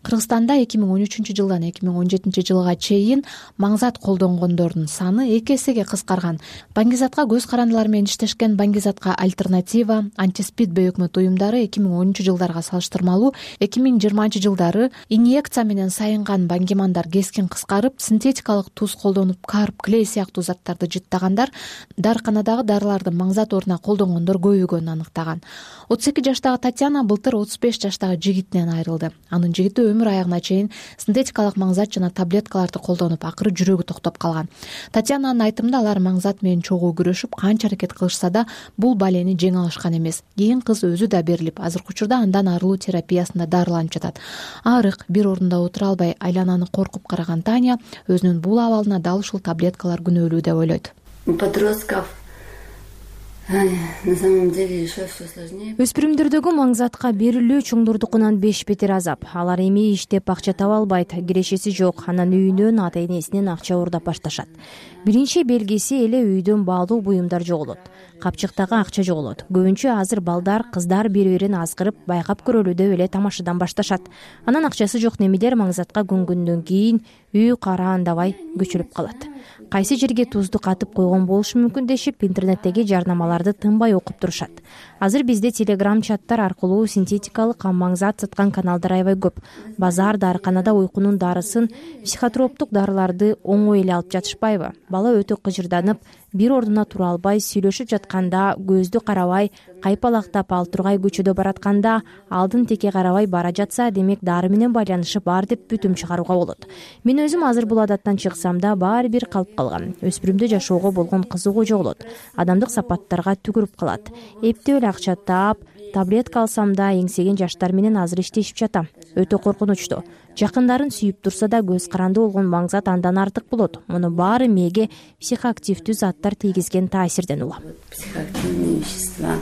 Кыргызстанда эки миң он үчүнчү жылдан эки миң он жетинчи жылга чейин маңзат колдонгондордун саны эки эсеге кыскарган. Баңгизатка көз карандылар менен иштешкен Баңгизатка альтернатива, антиспид бөйөкмөт уюмдары эки миң онунчу жылдарга салыштырмалуу эки миң жыйырманчы жылдары инъекция менен сайынган баңгимандар кескин кыскарып, синтетикалык туз колдонуп, карп, клей сыяктуу заттарды жыттагандар дарыканадагы дарыларды маңзат ордуна колдонгондор көбөйгөнүн аныктаган. отуз эки жаштагы Татьяна былтыр отуз беш жаштагы жигитинен айрылды. Анын жигити өмүр аягына чейин синтетикалык маңзат жана таблеткаларды колдонуп, акыры жүрөгү токтоп калган. Татьянанын айтымында, алар маңзат менен чогуу күрөшүп, канча аракет кылышса да бул балени жеңе алышкан эмес. Кийин кыз өзү да берилип, азыркы учурда андан арылуу терапиясында дарыланып жатат. Арык, бир ордунда отура албай, айлананы коркуп караган Таня өзүнүн бул абалына дал ушул таблеткалар күнөөлүү деп ойлойт. Подростков на самом деле еще все сложнее. Өспүрүмдөрдөгү маңзатка берилүү чоңдордукунан беш бетер азап. Алар эми иштеп акча таба албайт, кирешеси жок, анан үйүнөн ата энесинен акча уурдап башташат. Биринчи белгиси эле үйдөн баалуу буюмдар жоголот. Капчыктагы акча жоголот. Көбүнчө азыр балдар, кыздар бири-бирин азгырып, байкап көрөлү деп эле тамашадан башташат. Анан акчасы жок немелер маңзатка көнгөндөн кийин үй караандабай көчүлүп калат. Кайсы жерге тузду катып койгон болушу мүмкүн дешип, интернеттеги жарнамаларды тынбай окуп турушат. Азыр бизде телеграм чаттар аркылуу синтетикалык маңзат саткан каналдар аябай көп. Базар, дарыканада уйкунун дарысын, психотроптук дарыларды оңой эле алып жатышпайбы? Бала өтө кыжырданып, бир ордуна тура албай, сүйлөшүп жатканда, көздү карабай, кайпалактап ал тургай көчөдө баратканда, алдын теке карабай бара жатса, демек дары менен байланышы бар деп бүтүм чыгарууга болот. Мен өзүм азыр бул адаттан чыксам да баары бир калып калган. Өспүрүмдө жашоого болгон кызыгуу жоголот. Адамдык сапаттарга түгүрүп калат. Эптеп эле акча таап, таблетка алсам да эңсеген жаштар менен азыр иштешип жатам. Өтө коркунучтуу. Жакындарын сүйүп турса да көз каранды болгон маңзат андан артык болот. Муну баары мээге психоактивдүү заттар тийгизген таасирден улам. Психоактивные вещества.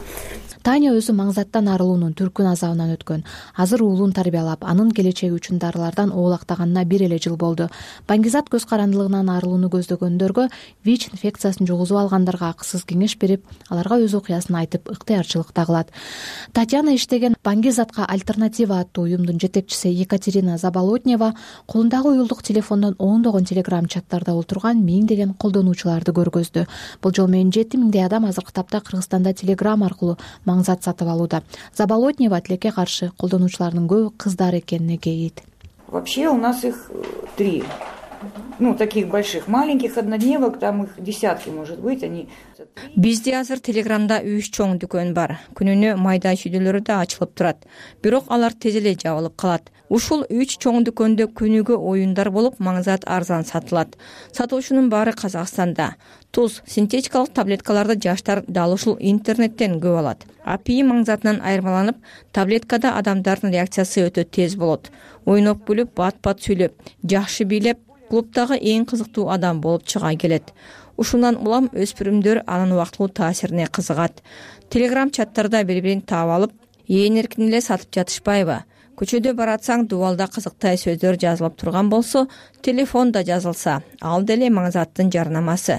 Таня өзү маңзаттан арылуунун түркүн азабынан өткөн. Азыр уулун тарбиялап, анын келечеги үчүн дарылардан оолактаганына бир эле жыл болду. Баңгизат көз карандылыгынан арылууну көздөгөндөргө, ВИЧ инфекциясын жугузуп алгандарга акысыз кеңеш берип, аларга өз окуясын айтып, ыктыярчылык да кылат. Татьяна иштеген Баңгизатка альтернатива аттуу уюмдун жетекчиси Екатерина Заболотнева колундагы уюлдук телефондон ондогон телеграм чаттарда олтурган миңдеген колдонуучуларды көргөздү. Бул жол менен жети миңдей адам азыркы тапта Кыргызстанда телеграм аркылуу маңзат сатып алууда. Заболотнева тилекке каршы колдонуучулардын көбү кыздар экенине кейит. Вообще у нас их три. Ну, таких больших, маленьких однодневок, там их десятки, может быть, они... Бизде азыр телеграмда үч чоң дүкөн бар. Күнүнө майда чүйдөлөрү да ачылып турат. Бирок алар тез эле жабылып калат. Ушул үч чоң дүкөндө күнүгө оюндар болуп, маңзат арзан сатылат. Сатуучунун баары Казакстанда. Туз, синтетикалык таблеткаларды жаштар дал ушул интернеттен көп алат. Апий маңзатынан айырмаланып, таблеткада адамдардын реакциясы өтө тез болот. Ойноп күлүп, бат-бат сүйлөп, жакшы бийлеп, клубдагы эң кызыктуу адам болуп чыга келет. Ушундан улам өспүрүмдөр анын убактылуу таасирине кызыгат. Телеграм чаттарда бири-бирин таап алып, ээн эркин эле сатып жатышпайбы? Көчөдө баратсаң, дубалда кызыктай сөздөр жазылып турган болсо, телефонда жазылса, ал деле маңзаттын жарнамасы.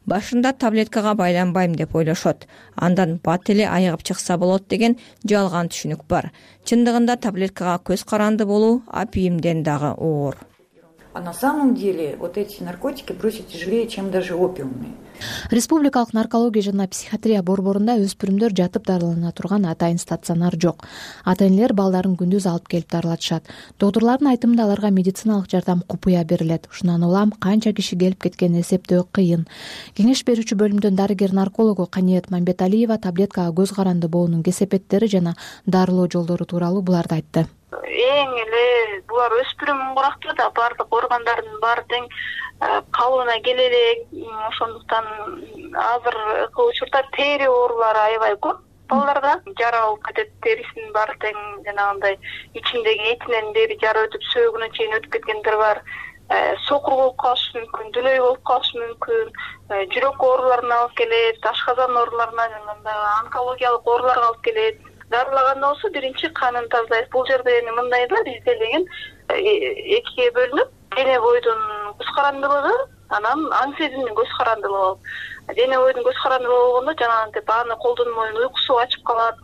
Башында таблеткага байланбайм деп ойлошот. Андан бат эле айыгып чыкса болот деген жалган түшүнүк бар. Чындыгында таблеткага көз каранды болуу апийимден дагы оор. А на самом деле вот эти наркотики проще тяжелее, чем даже опиумные. Республикалык наркология жана психиатрия борборунда өспүрүмдөр жатып дарылана турган атайын стационар жок. Ата-энелер балдарын күндүз алып келип дарылатышат. Доктурлардын айтымында аларга медициналык жардам купуя берилет. Ушундан улам канча киши келип кеткенин эсептөө кыйын. Кеңеш берүүчү бөлүмдөн дарыгер-наркологу Каниет Мамбеталиева таблеткага көз каранды боонун кесепеттери жана дарылоо жолдору тууралуу буларды айтты. Эң эле булар өспүрүм оңгуракта да баардык органдардын баары тең калыбына келе элек. Ошондуктан азыркы учурда тери оорулары аябай көп. Балдарда жара болуп кетет, терисинин баары тең жанагындай ичиндеги этинен бери жара өтүп сөөгүнө чейин өтүп кеткендер бар. Сокур болуп калышы мүмкүн, дүлөй болуп калышы мүмкүн, жүрөк ооруларына алып келет, ашказан ооруларына жана онкологиялык ооруларга алып келет. Дарылаганда болсо биринчи канын тазалайбыз. Бул жерде эми мындай да, бизде деген экиге бөлүнүп, дене бойдун көз карандылыгы, анан аң сезимдин көз карандылыгы болуп. Дене бойдун көз карандылыгы болгондо жанагынтип аны колдонмойн, уйкусу ачып калат,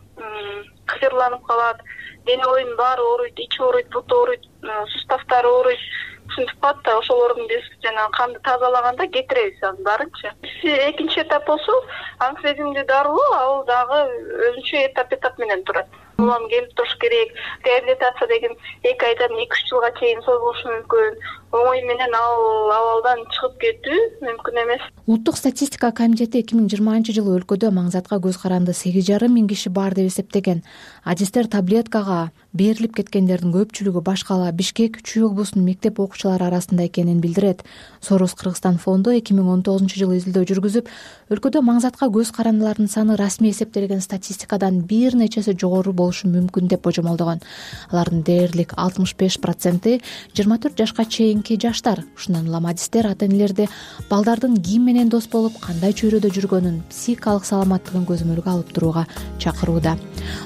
кыжырланып калат, дене боюнун баары ооруйт, ичи ооруйт, буту ооруйт, суставтары ооруйт. Ушинтип калат да, ошолордун биз жана канды тазалаганда кетиребиз анын баарынчы. Экинчи этап болсо, аң сезимдүү дарылоо, ал дагы өзүнчө этап этап менен турат. Улам келип туруш керек. Реабилитация деген эки айдан эки үч жылга чейин созулушу мүмкүн. Оңой менен ал абалдан чыгып кетүү мүмкүн эмес. Улуттук статистика комитети эки миң жыйырманчы жылы өлкөдө маңзатка көз каранды сегиз жарым миң киши бар деп эсептеген. Адистер таблеткага берилип кеткендердин көпчүлүгү Башкала, Бишкек, Чүй облусунун мектеп окуучулары арасында экенин билдирет. Сорос Кыргызстан фонду эки миң он тогузунчу жылы изилдөө жүргүзүп, өлкөдө маңзатка көз карандылардын саны расмий эсептелген статистикадан бир нечеси жогору болушу мүмкүн деп божомолдогон. Алардын дээрлик алтымыш беш проценти жыйырма төрт жашка чейинки жаштар. Ушундан улам адистер ата-энелерди балдардын ким менен дос болуп, кандай чөйрөдө жүргөнүн, психикалык саламаттыгын көзөмөлгө алып турууга чакырууда.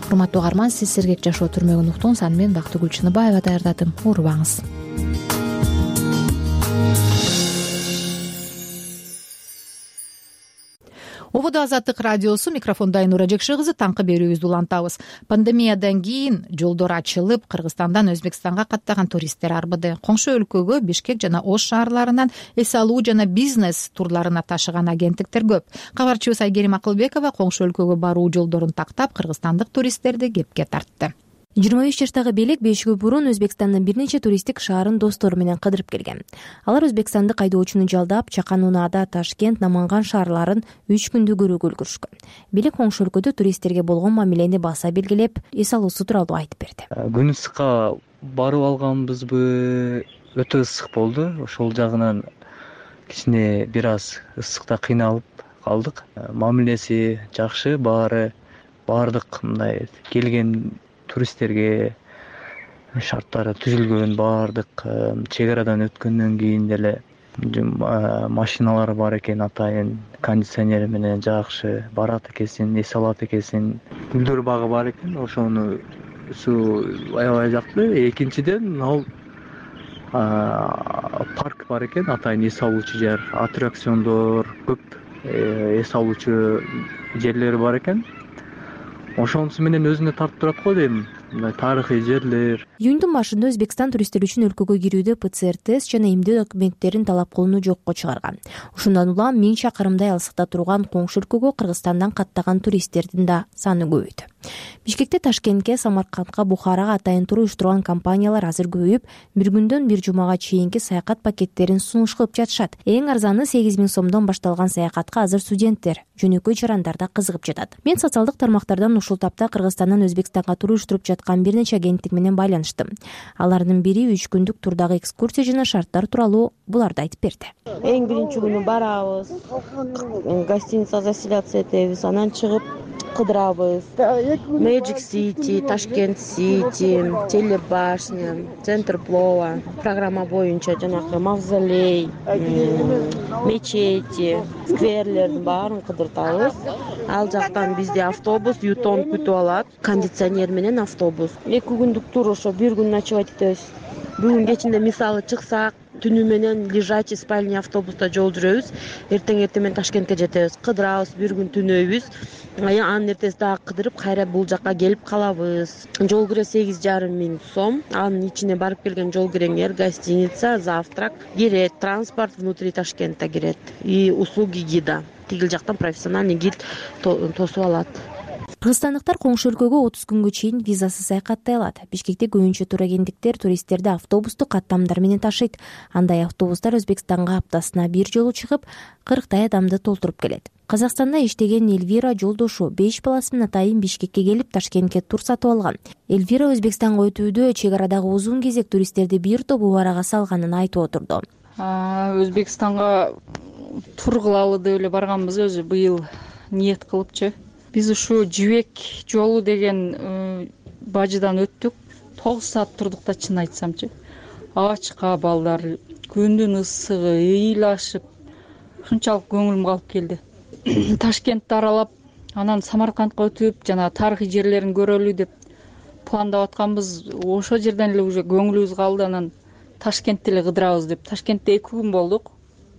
Урматтуу угарман, сиз сергек жашоо түрмөгүн уктуңуз. Аны мен Бактыгүл Чыныбаева даярдадым. Урбаңыз. Ободо Азаттык радиосу, микрофонда Айнура Жекши кызы, таңкы берүүбүздү улантабыз. Пандемиядан кийин жолдор ачылып, Кыргызстандан Өзбекстанга каттаган туристтер арбыды. Коңшу өлкөгө Бишкек жана Ош шаарларынан эс алуу жана бизнес турларына ташыган агенттиктер көп. Кабарчыбыз Айгерим Акылбекова коңшу өлкөгө баруу жолдорун тактап, кыргызстандык туристтерди кепке тартты. жыйырма беш жаштагы белек беш күн мурун Өзбекстандын бир нече туристтик шаарын достору менен кыдырып келген. Алар Өзбекстандык айдоочуну жалдап, Чакан, Унаада, Ташкент, Наманган шаарларын үч күндү көрүүгө үлгүрүшкөн. Белек коңшу өлкөдө туристтерге болгон мамилени баса белгилеп, эс алуусу тууралуу айтып берди. Күн ысыкка барып алганбызбы, өтө ысык болду. Ошол жагынан кичине бир аз ысыкта кыйналып калдык. Мамилеси жакшы, баары баардык мындай келген туристтерге шарттары түзүлгөн, баардык чек арадан өткөндөн кийин деле машиналар бар экен, атайын кондиционери менен жакшы барат экенсин, эс алат экенсин. Гүлдөр багы бар экен, ошону аябай жакты. Экинчиден ал парк бар экен, атайын эс алуучу жер, аттракциондор көп, эс алуучу жерлери бар экен. Ошонусу менен өзүнө тартып турат го дейм. Мындай тарыхый жерлер. Июндун башында Өзбекстан туристтер үчүн өлкөгө кирүүдө пэ цэ эр тест жана эмдөө документтерин талап кылууну жокко чыгарган. Ушундан улам миң чакырымдай алыстыкта турган коңшу өлкөгө Кыргызстандан каттаган туристтердин да саны көбөйдү. Бишкекте, Ташкентке, Самаркандка, Бухарага атайын тур уюштурган компаниялар азыр көбөйүп, бир күндөн бир жумага чейинки саякат пакеттерин сунуш кылып жатышат. Эң арзаны сегиз миң сомдон башталган саякатка азыр студенттер, жөнөкөй жарандар да кызыгып жатат. Мен социалдык тармактардан ушул тапта Кыргызстандан Өзбекстанга тур уюштуруп жаткан бир нече агенттик менен байланыштым. Алардын бири үч күндүк турдагы экскурсия жана шарттар тууралуу буларды айтып берди. Эң биринчи күнү барабыз, гостиница заселяться этебиз, анан чыгып кыдырабыз. Magic City, Ташкент City, Телебашня, Центр Плова, программа боюнча жанагы мавзолей, мечети, скверлердин баарын кыдыртабыз. Ал жактан бизде автобус Ютон күтүп алат, кондиционер менен автобус. эки күндүк тур, ошо бир күн ночевать этебиз. Бүгүн кечинде мисалы чыксак, түнү менен лежачий спальный автобуста жол жүрөбүз. Эртең эртең менен Ташкентке жетебиз, кыдырабыз, бир күн түнөйбүз. Анын эртеси дагы кыдырып, кайра бул жакка келип калабыз. Жол кире сегиз жарым миң сом. Анын ичине барып келген жол киреңер, гостиница, завтрак кирет, транспорт внутри Ташкента кирет и услуги гида. тигил жактан профессиональный гид тосуп алат. Кыргызстандыктар коңшу өлкөгө отуз күнгө чейин визасыз саякаттай алат. Бишкекте көбүнчө турагенттиктер туристтерди автобусту каттамдар менен ташыйт. Андай автобустар Өзбекстанга аптасына бир жолу чыгып, кырктай адамды толтуруп келет. Казакстанда иштеген Эльвира жолдошу беш баласы менен атайын Бишкекке келип, Ташкентке тур сатып алган. Эльвира Өзбекстанга өтүүдө чек арадагы узун кезек туристтерди бир топ убарага салганын айтып отурду. Өзбекстанга тур кылалы деп эле барганбыз, өзү быйыл ниет кылыпчы. Биз ушу Жибек жолу деген бажыдан өттүк. тогуз саат турдук да, чын айтсамчы. Ачка балдар, күндүн ысыгы, ыйлашып, ушунчалык көңүлүм калып келди. Ташкентти аралап, анан Самаркандка өтүп, жана тарыхый жерлерин көрөлү деп пландап атканбыз. Ошол жерден эле уже көңүлүбүз калды. Анан Ташкентти эле кыдырабыз деп. Ташкентте эки күн болдук.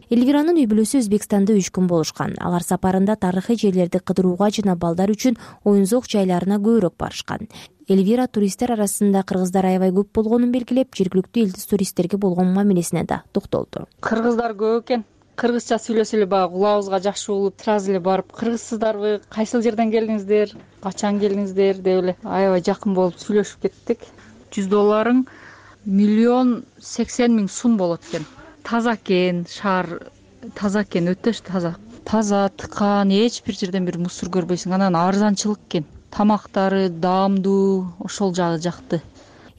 Эльвиранын үй бүлөсү Өзбекстанда үч күн болушкан. Алар сапарында тарыхый жерлерди кыдырууга жана балдар үчүн оюн-зоок жайларына көбүрөөк барышкан. Эльвира туристтер арасында кыргыздар аябай көп болгонун белгилеп, жергиликтүү элдис туристтерге болгон мамилесине да токтолду. Кыргыздар көп экен. Кыргызча сүйлөсө эле баягы кулабызга жакшы болуп, сразу эле барып, кыргызсыздарбы, кайсыл жерден келдиңиздер, качан келдиңиздер деп эле аябай жакын болуп сүйлөшүп кеттик. жүз долларың миллион сексен миң сум болот экен. Таза экен, шаар таза экен, өтө таза. Таза, тыкан, эч бир жерден бир мусор көрбөйсүң. Анан арзанчылык экен. Тамактары даамдуу, ошол жагы жакты.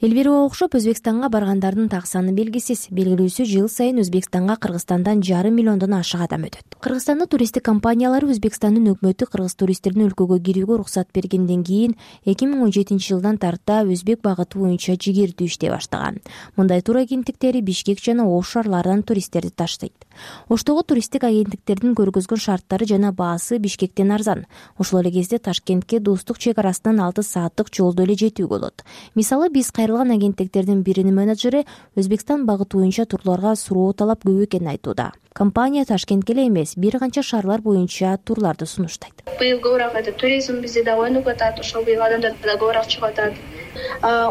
Эльвирага окшоп Өзбекстанга баргандардын так саны белгисиз. Белгилүүсү, жыл сайын Өзбекстанга Кыргызстандан жарым миллиондон ашык адам өтөт. Кыргызстандын туристтик компаниялары Өзбекстандын өкмөтү кыргыз туристтердин өлкөгө кирүүгө уруксат бергенден кийин эки миң он жетинчи жылдан тарта өзбек багыты боюнча жигердүү иштей баштаган. Мындай тур агенттиктери Бишкек жана Ош шаарларынан туристтерди таштайт. Оштогу туристтик агенттиктердин көргөзгөн шарттары жана баасы Бишкектен арзан. Ошол эле кезде Ташкентке достук чек арасынан алты сааттык жолдо эле жетүүгө болот. Мисалы, биз кайрылган агенттиктердин биринин менеджери Өзбекстан багыты боюнча турларга суроо талап көп экенин айтууда. Компания Ташкентке эле эмес, бир канча шаарлар боюнча турларды сунуштайт. Быйыл көбүрөөк айтат, туризм бизде да ойнуп атат, ошол быйыл адамдар да көбүрөөк чыгып атат.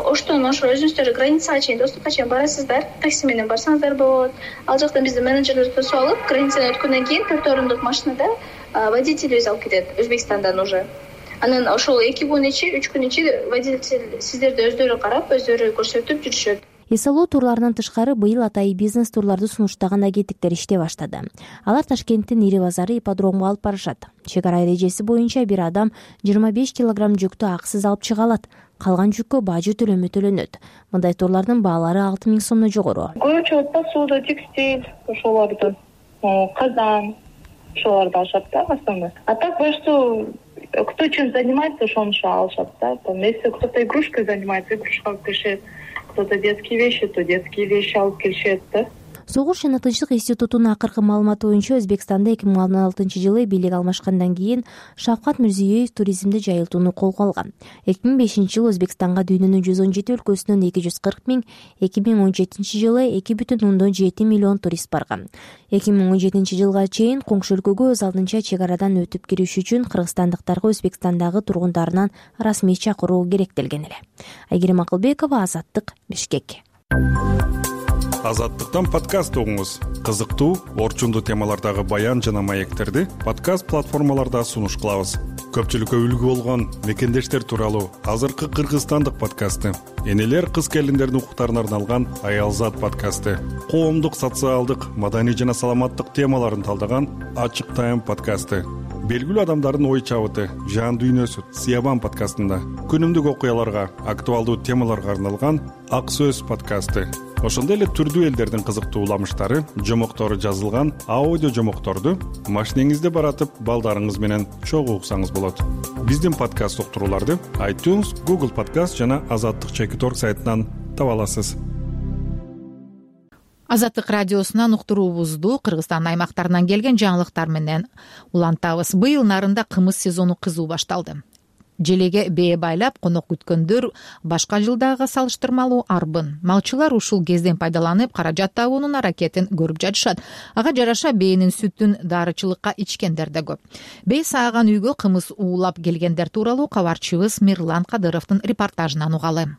Оштон ошо өзүңүздөр границага чейин, достукка чейин барасыздар, такси менен барсаңыздар болот. Ал жактан биздин менеджерлер тосуп алып, границадан өткөндөн кийин төрт орундук машинада водитель өзү алып кетет Өзбекстандан уже. Анан ошол эки күн ичи, үч күн ичи водитель сиздерди өздөрү карап, өздөрү көрсөтүп жүрүшөт. эс эл о турларынан тышкары быйыл атайын бизнес турларды сунуштаган агенттиктер иштей баштады. Алар Ташкенттин ири базары ипподромго алып барышат. Чек ара эрежеси боюнча бир адам жыйырма беш килограмм жүктү акысыз алып чыга алат. Калган жүккө бажы төлөмү төлөнөт. Мындай турлардын баалары алты миң сомдон жогору. Көбүнчө посуда, текстиль, ошолорду, казан, ошолорду алышат да основной. А так больше кто чем занимается, ошончо алышат да. Там если кто-то игрушкой занимается, игрушка алып келишет. Кто-то детские вещи, то детские вещи алып келишет да. Согуш жана тынчтык институтунун акыркы маалыматы боюнча Өзбекстанда эки миң он алтынчы жылы бийлик алмашкандан кийин Шавкат Мирзиёев туризмди жайылтууну колго алган. эки миң бешинчи жылы Өзбекстанга дүйнөнүн жүз он жети өлкөсүнөн эки жүз кырк миң, эки миң он жетинчи жылы эки бүтүн ондон жети миллион турист барган. эки миң он жетинчи жылга чейин коңшу өлкөгө өз алдынча чек арадан өтүп кириш үчүн кыргызстандыктарга Өзбекстандагы тургундарынан расмий чакыруу керектелген эле. Айгерим Акылбекова, Азаттык, Бишкек. Азаттыктан подкаст угуңуз. Кызыктуу, орчундуу темалардагы баян жана маектерди подкаст платформаларда сунуш кылабыз. Көпчүлүккө үлгү болгон мекендештер тууралуу азыркы кыргызстандык подкасты, энелер кыз келиндердин укуктарына арналган Аялзат подкасты, коомдук, социалдык, маданий жана саламаттык темаларын талдаган Ачык Тайм подкасты, белгилүү адамдардын ой чабыты, жан дүйнөсү Сиябан подкастында, күнүмдүк окуяларга, актуалдуу темаларга арналган Ак Сөз подкасты. Ошондой эле түрдүү элдердин кызыктуу уламыштары, жомоктору жазылган аудио жомокторду машинеңизде баратып, балдарыңыз менен чогуу уксаңыз болот. Биздин подкаст уктурууларды iTunes, Google Podcast жана Азаттык чекит точка орг сайтынан таба аласыз. Азаттык радиосунан уктуруубузду Кыргызстан аймактарынан келген жаңылыктар менен улантабыз. Быйыл нарында кымыз сезону кызуу башталды. Желеге бээ байлап конок күткөндөр башка жылдагыга салыштырмалуу арбын. Малчылар ушул кезден пайдаланып каражат табуунун аракетин көрүп жатышат. Ага жараша бээнин сүтүн дарычылыкка ичкендер да көп. Бээ сааган үйгө кымыз уулап келгендер тууралуу кабарчыбыз Мирлан Кадыровдун репортажынан угалы.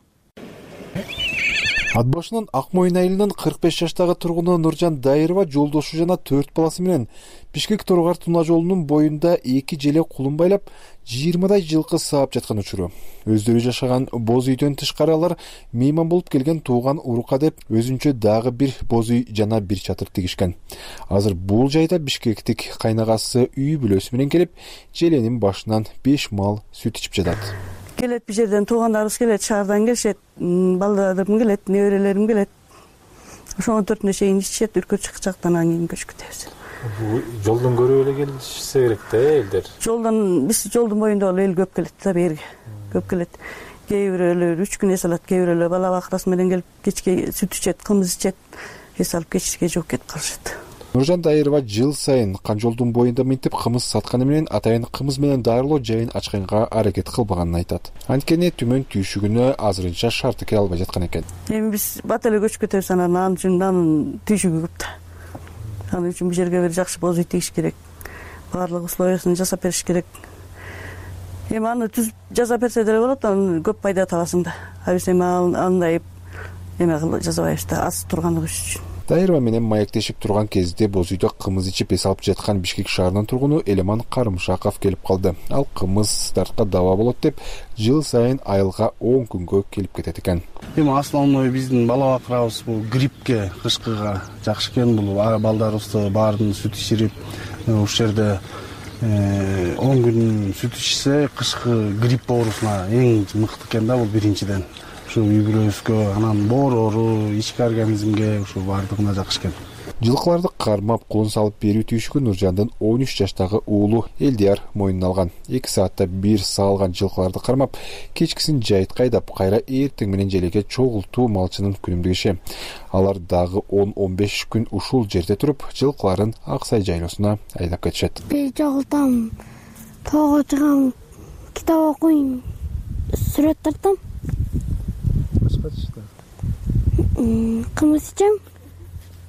Ат башынын Ак Моюн айылынын кырк беш жаштагы тургуну Нуржан Дайырова жолдошу жана төрт баласы менен Бишкек Торгар Туна жолунун боюнда эки желе кулун байлап жыйырмадай жылкы саап жаткан учуру. Өздөрү жашаган боз үйдөн тышкары алар мейман болуп келген тууган урука деп өзүнчө дагы бир боз үй жана бир чатыр тигишкен. Азыр бул жайда бишкектик кайнагасы үй бүлөсү менен келип, желенин башынан беш мал сүт ичип жатат. Келет бир жерден туугандарыбыз келет, шаардан келишет, балдарым келет, неберелерим келет. Ошону төртүнө чейин ичишет, үркөчүк жактан анан кийин көчүп кетебиз. Бул жолдон көрүп эле келишсе керек да элдер. Жолдон биз жолдун боюнда эл көп келет да, берге. Көп келет. Кээ бирөөлөр үч күн эс алат, кээ бирөөлөр бала бакырасы менен келип кечке сүт ичет, кымыз ичет, эс алып кечке жооп кетип калышат. Нуржан Дайырова жыл сайын Канжолдун боюнда минтип кымыз сатканы менен атайын кымыз менен дарылоо жайын ачканга аракет кылбаганын айтат. Анткени түмөн түйшүгүнө азырынча шарты келе албай жаткан экен. Эми биз бат эле көчүп кетебиз, анан анын үчүн анын түйшүгү көп да. Анын үчүн бул жерге бир жакшы боз үй тигиш керек. Баардык условиясын жасап бериш керек. Эми аны түзүп жасап берсе деле болот, анан көп пайда табасың да. А биз эми андай эме жасабайбыз да, аз тургандыгы үчүн. Дайырова менен маектешип турган кезде боз үйдө кымыз ичип эс алып жаткан Бишкек шаарынын тургуну Элеман Карымшаков келип калды. Ал кымыз тартка даба болот деп жыл сайын айылга он күнгө келип кетет экен. Эми основной биздин бала бакырабыз бул гриппке, кышкыга жакшы экен. Бул балдарыбызды баарын сүт ичирип, ушул жерде он күн сүт ичсе кышкы грипп оорусуна эң мыкты экен да, бул биринчиден. Ушу үй бүлөбүзгө, анан боорору, ички организмге ушу баардыгына жакшы экен. Жылкыларды кармап кулун салып берүү түйшүгү Нуржандын он үч жаштагы уулу Элдияр мойнуна алган. эки саатта бир саалган жылкыларды кармап, кечкисин жайытка айдап, кайра эртең менен желеге чогултуу малчынын күнүмдүк иши. Алар дагы он он беш күн ушул жерде туруп, жылкыларын Ак Сай жайлоосуна айдап кетишет. Бир чогултам, тоого чыгам, китап окуйм, сүрөт тартам. Кымыз ичем,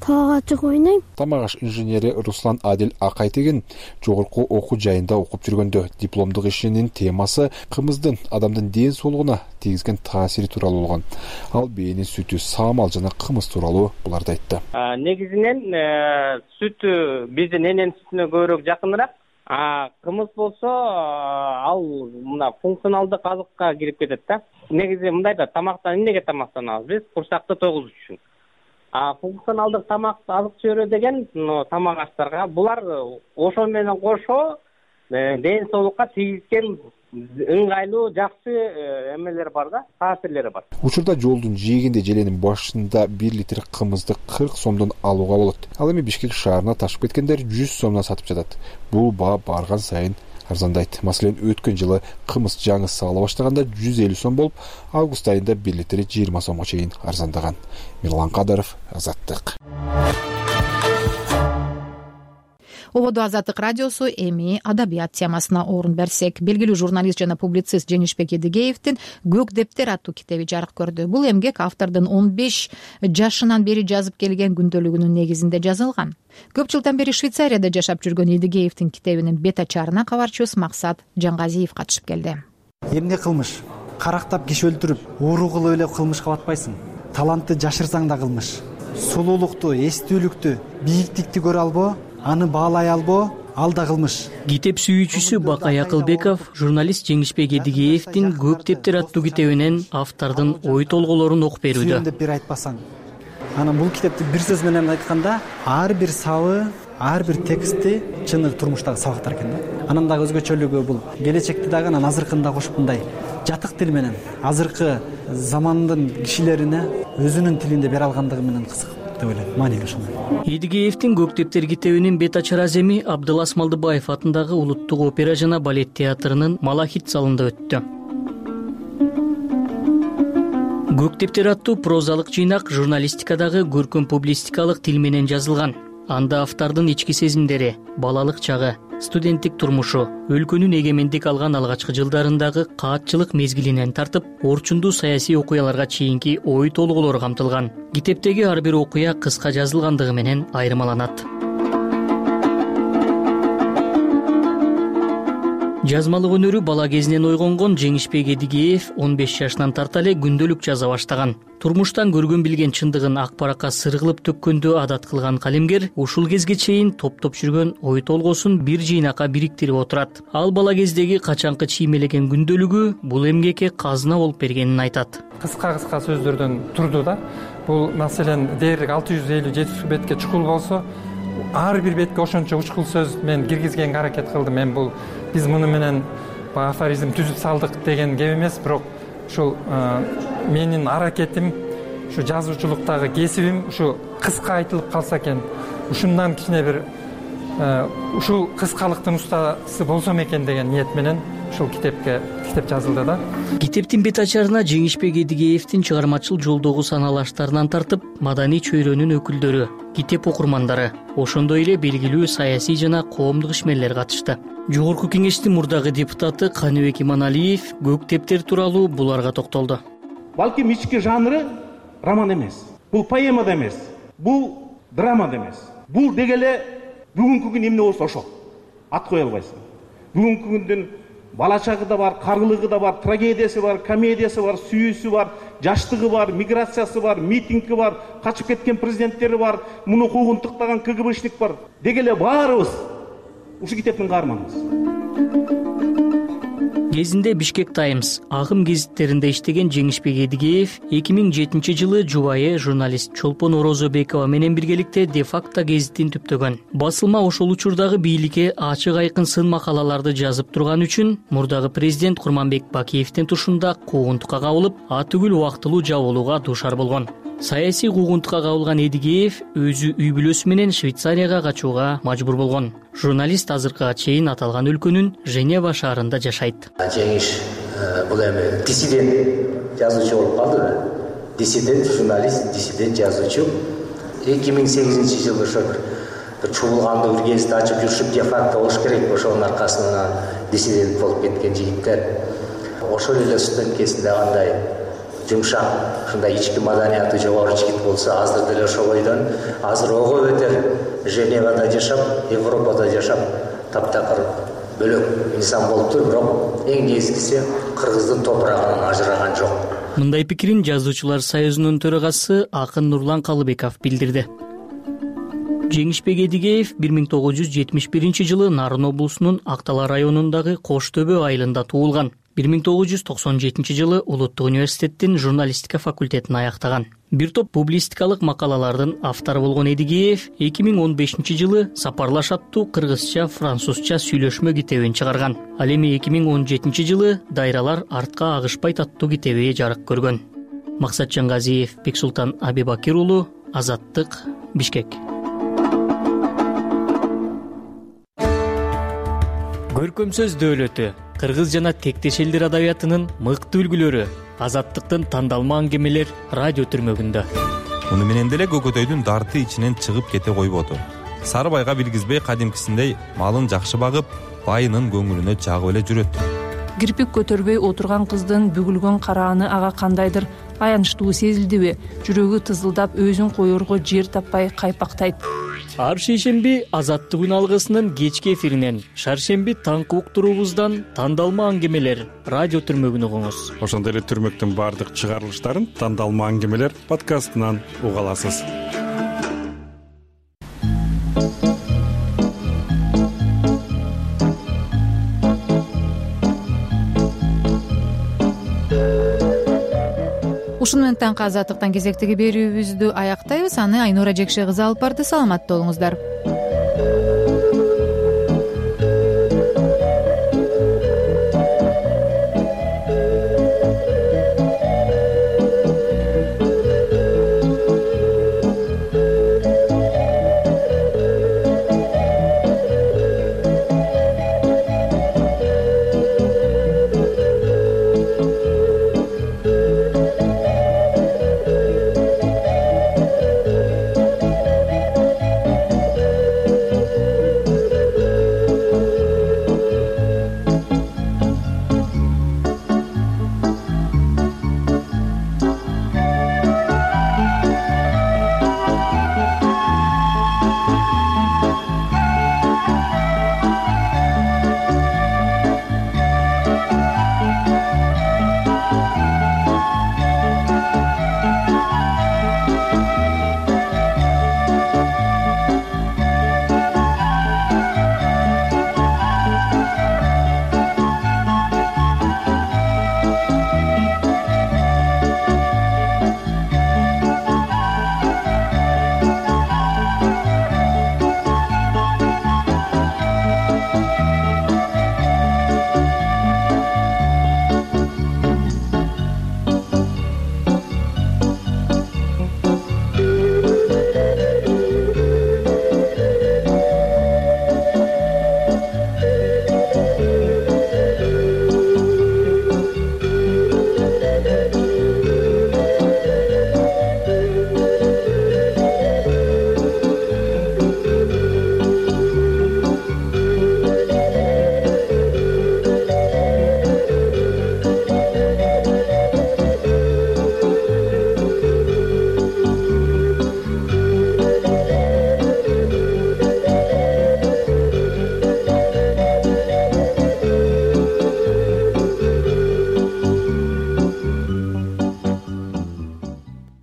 тоого чыгып ойнойм. Тамак аш инженери Руслан Адил Акайтеген жогорку окуу жайында окуп жүргөндө дипломдук ишинин темасы кымыздын адамдын ден соолугуна тийгизген таасири тууралуу болгон. Ал бээнин сүтү, саамал жана кымыз тууралуу буларды айтты. Негизинен сүтү биздин эненин сүтүнө көбүрөөк жакыныраак. А кымыз болсо ал мына функционалдык азыкка кирип кетет да. Негизи мындай да, тамактан эмнеге тамактанабыз биз? Курсакты тогузуш үчүн. А функционалдык тамак азык чөйрө деген тамак аштарга булар ошо менен кошо ден соолукка тийгизген ыңгайлуу жакшы эмелер бар да, таасирлери бар. Учурда жолдун жээгинде желенин башында бир литр кымызды кырк сомдон алууга болот. Ал эми Бишкек шаарына ташып кеткендер жүз сомдон сатып жатат. Бул баа барган сайын арзандайт. Маселен, өткөн жылы кымыз жаңы саала баштаганда жүз элүү сом болуп, август айында бир литри жыйырма сомго чейин арзандаган. Мирлан Кадыров, Азаттык. Ободо Азаттык радиосу эми адабият темасына орун берсек, белгилүү журналист жана публицист Женишбек Эдигеевдин «Көк дептер» аттуу китеби жарык көрдү. Бул эмгек автордун он беш жашынан бери жазып келген күндөлүгүнүн негизинде жазылган. Көп жылдан бери Швейцарияда жашап жүргөн Эдигеевдин китебинин бет ачарына кабарчыбыз Максат Жангазиев катышып келди. Эмне кылмыш? Карактап киши өлтүрүп, ууру кылып эле кылмышка батпайсың. Талантты жашырсаң да кылмыш. Сулуулукту, эстүүлүктү, бийиктикти көрө албоо, аны баалай албоо, ал да кылмыш. Китеп сүйүүчүсү Бакай Акылбеков журналист Жеңишбек Эдигеевдин «Көк дептер» аттуу китебинен автордун ой толголорун окуп берүүдө. Сүйөн деп бир айтпасаң. Анан бул китепти бир сөз менен айтканда, ар бир сабы, ар бир тексти чыны турмуштагы сабактар экен да. Анан дагы өзгөчөлүгү бул келечекти дагы анан азыркыны да кошуп мындай жатык тил менен азыркы замандын кишилерине өзүнүн тилинде бере алгандыгы менен кызык. Эдигеевдин «Көк дептер» китебинин бет ачар аземи Абдылас Малдыбаев атындагы Улуттук опера жана балет театрынын Малахит залында өттү. «Көк дептер» аттуу прозалык жыйнак журналистикадагы көркөм публистикалык тил менен жазылган. Анда автордун ички сезимдери, балалык чагы, студенттик турмушу, өлкөнүн эгемендик алган алгачкы жылдарындагы каатчылык мезгилинен тартып, орчундуу саясий окуяларга чейинки ой толголор камтылган. Китептеги ар бир окуя кыска жазылгандыгы менен айырмаланат. жазмалык өнөрү бала кезинен ойгонгон Жеңишбек Эдигеев он беш жашынан тарта эле күндөлүк жаза баштаган. Турмуштан көргөн билген чындыгын ак баракка сыргылып төккөндү адат кылган калемгер ушул кезге чейин топтоп жүргөн ой толгосун бир жыйнакка бириктирип отурат. Ал бала кездеги качанкы чиймелеген күндөлүгү бул эмгекке казына болуп бергенин айтат. Кыска кыска сөздөрдөн турду да. Бул маселен дээрлик алты жүз элүү жети жүз бетке чукул болсо, ар бир бетке ошончо учкул сөз мен киргизгенге аракет кылдым. Мен бул биз муну менен афоризм түзүп салдык деген кеп эмес, бирок ушул менин аракетим, ушу жазуучулуктагы кесибим ушу кыска айтылып калса экен, ушундан кичине бир ушул кыскалыктын устасы болсом экен деген ниет менен ушул китепке китеп жазылды да. Китептин бет ачарына Жеңишбек Эдигеевдин чыгармачыл жолдогу саналаштарынан тартып маданий чөйрөнүн өкүлдөрү, китеп окурмандары, ошондой эле белгилүү саясий жана коомдук ишмерлер катышты. Жогорку кеңештин мурдагы депутаты Каныбек Иманалиев көк тептер тууралуу буларга токтолду. Балким ички жанры роман эмес, бул поэма да эмес, бул драма да эмес. Бул дегеле бүгүнкү күн эмне болсо ошо. Ат кое албайсың. Бүгүнкү күндүн бала чагы да бар, каргылыгы да бар, трагедиясы бар, комедиясы бар, сүйүүсү бар, жаштыгы бар, миграциясы бар, митинги бар, качып кеткен президенттери бар, муну куугунтуктаган КГБшник бар. Дегеле баарыбыз ушу китептин каарманыбыз. Кезинде Бишкек Таймс, Агым гезиттеринде иштеген Жеңишбек Эдигеев эки миң жетинчи жылы жубайы журналист Чолпон Орозобекова менен биргеликте де факто гезитин түптөгөн. Басылма ошол учурдагы бийликке ачык айкын сын макалаларды жазып турган үчүн мурдагы президент Курманбек Бакиевдин тушунда куугунтукка кабылып, а түгүл убактылуу жабылууга дуушар болгон. Саясий куугунтукка кабылган Эдигеев өзү үй бүлөсү менен Швейцарияга качууга мажбур болгон. Журналист азыркыга чейин аталган өлкөнүн Женева шаарында жашайт. Жеңиш бул эми диссидент жазуучу болуп калды да. Диссидент журналист, диссидент жазуучу. эки миң сегизинчи жылы ошо бир чуулгандуу бир гезит ачып жүрүшүп, де факто болуш керек, ошонун аркасынан диссидент болуп кеткен жигиттер. Ошол эле студент кезинде кандай жумшак, ушундай ички маданияты жогору жигит болсо, азыр деле ошол бойдон, азыр ого бетер Женевада жашап, Европада жашап, таптакыр бөлөк инсан болуптур, бирок эң негизгиси кыргыздын топурагынан ажыраган жок. Мындай пикирин Жазуучулар союзунун төрагасы Акын Нурлан Калыбеков билдирди. Жеңишбек Эдигеев бир миң тогуз жүз жетимиш биринчи жылы Нарын облусунун Актала районундагы Кош Төбө айылында туулган. бир миң тогуз жүз токсон жетинчи жылы Улуттук университеттин журналистика факультетин аяктаган. Бир топ публистикалык макалалардын автору болгон Эдигеев эки миң он бешинчи жылы Сапарлаш аттуу кыргызча, французча сүйлөшмө китебин чыгарган. Ал эми эки миң он жетинчи жылы Дайралар артка агышпайт аттуу китеби жарык көргөн. Максатжан Газиев, Бексултан Абибакир уулу, Азаттык, Бишкек. Көркөм сөз дөөлөтү, кыргыз жана тектеш элдер адабиятынын мыкты үлгүлөрү, Азаттыктын тандалма аңгемелер радио түрмөгүндө. Муну менен деле көкөтөйдүн дарты ичинен чыгып кете койбоду. Сары байга билгизбей кадимкисиндей малын жакшы багып, байынын көңүлүнө жагып эле жүрөт. Кирпик көтөрбөй отурган кыздын бүгүлгөн карааны ага кандайдыр аянычтуу сезилдиби? Жүрөгү тызылдап, өзүн коерго жер таппай кайпактайт. Ар шейшемби Азаттык күн алгысынын кечки эфиринен, шаршемби таңкы уктуруубуздан тандалма аңгемелер радио түрмөгүн угуңуз. Ошондой эле түрмөктүн баардык чыгарылыштарын тандалма аңгемелер подкастынан уга аласыз. Ушуну менен таңкы Азаттыктан кезектеги берүүбүздү аяктайбыз. Аны Айнура Жекше кызы алып барды. Саламатта болуңуздар.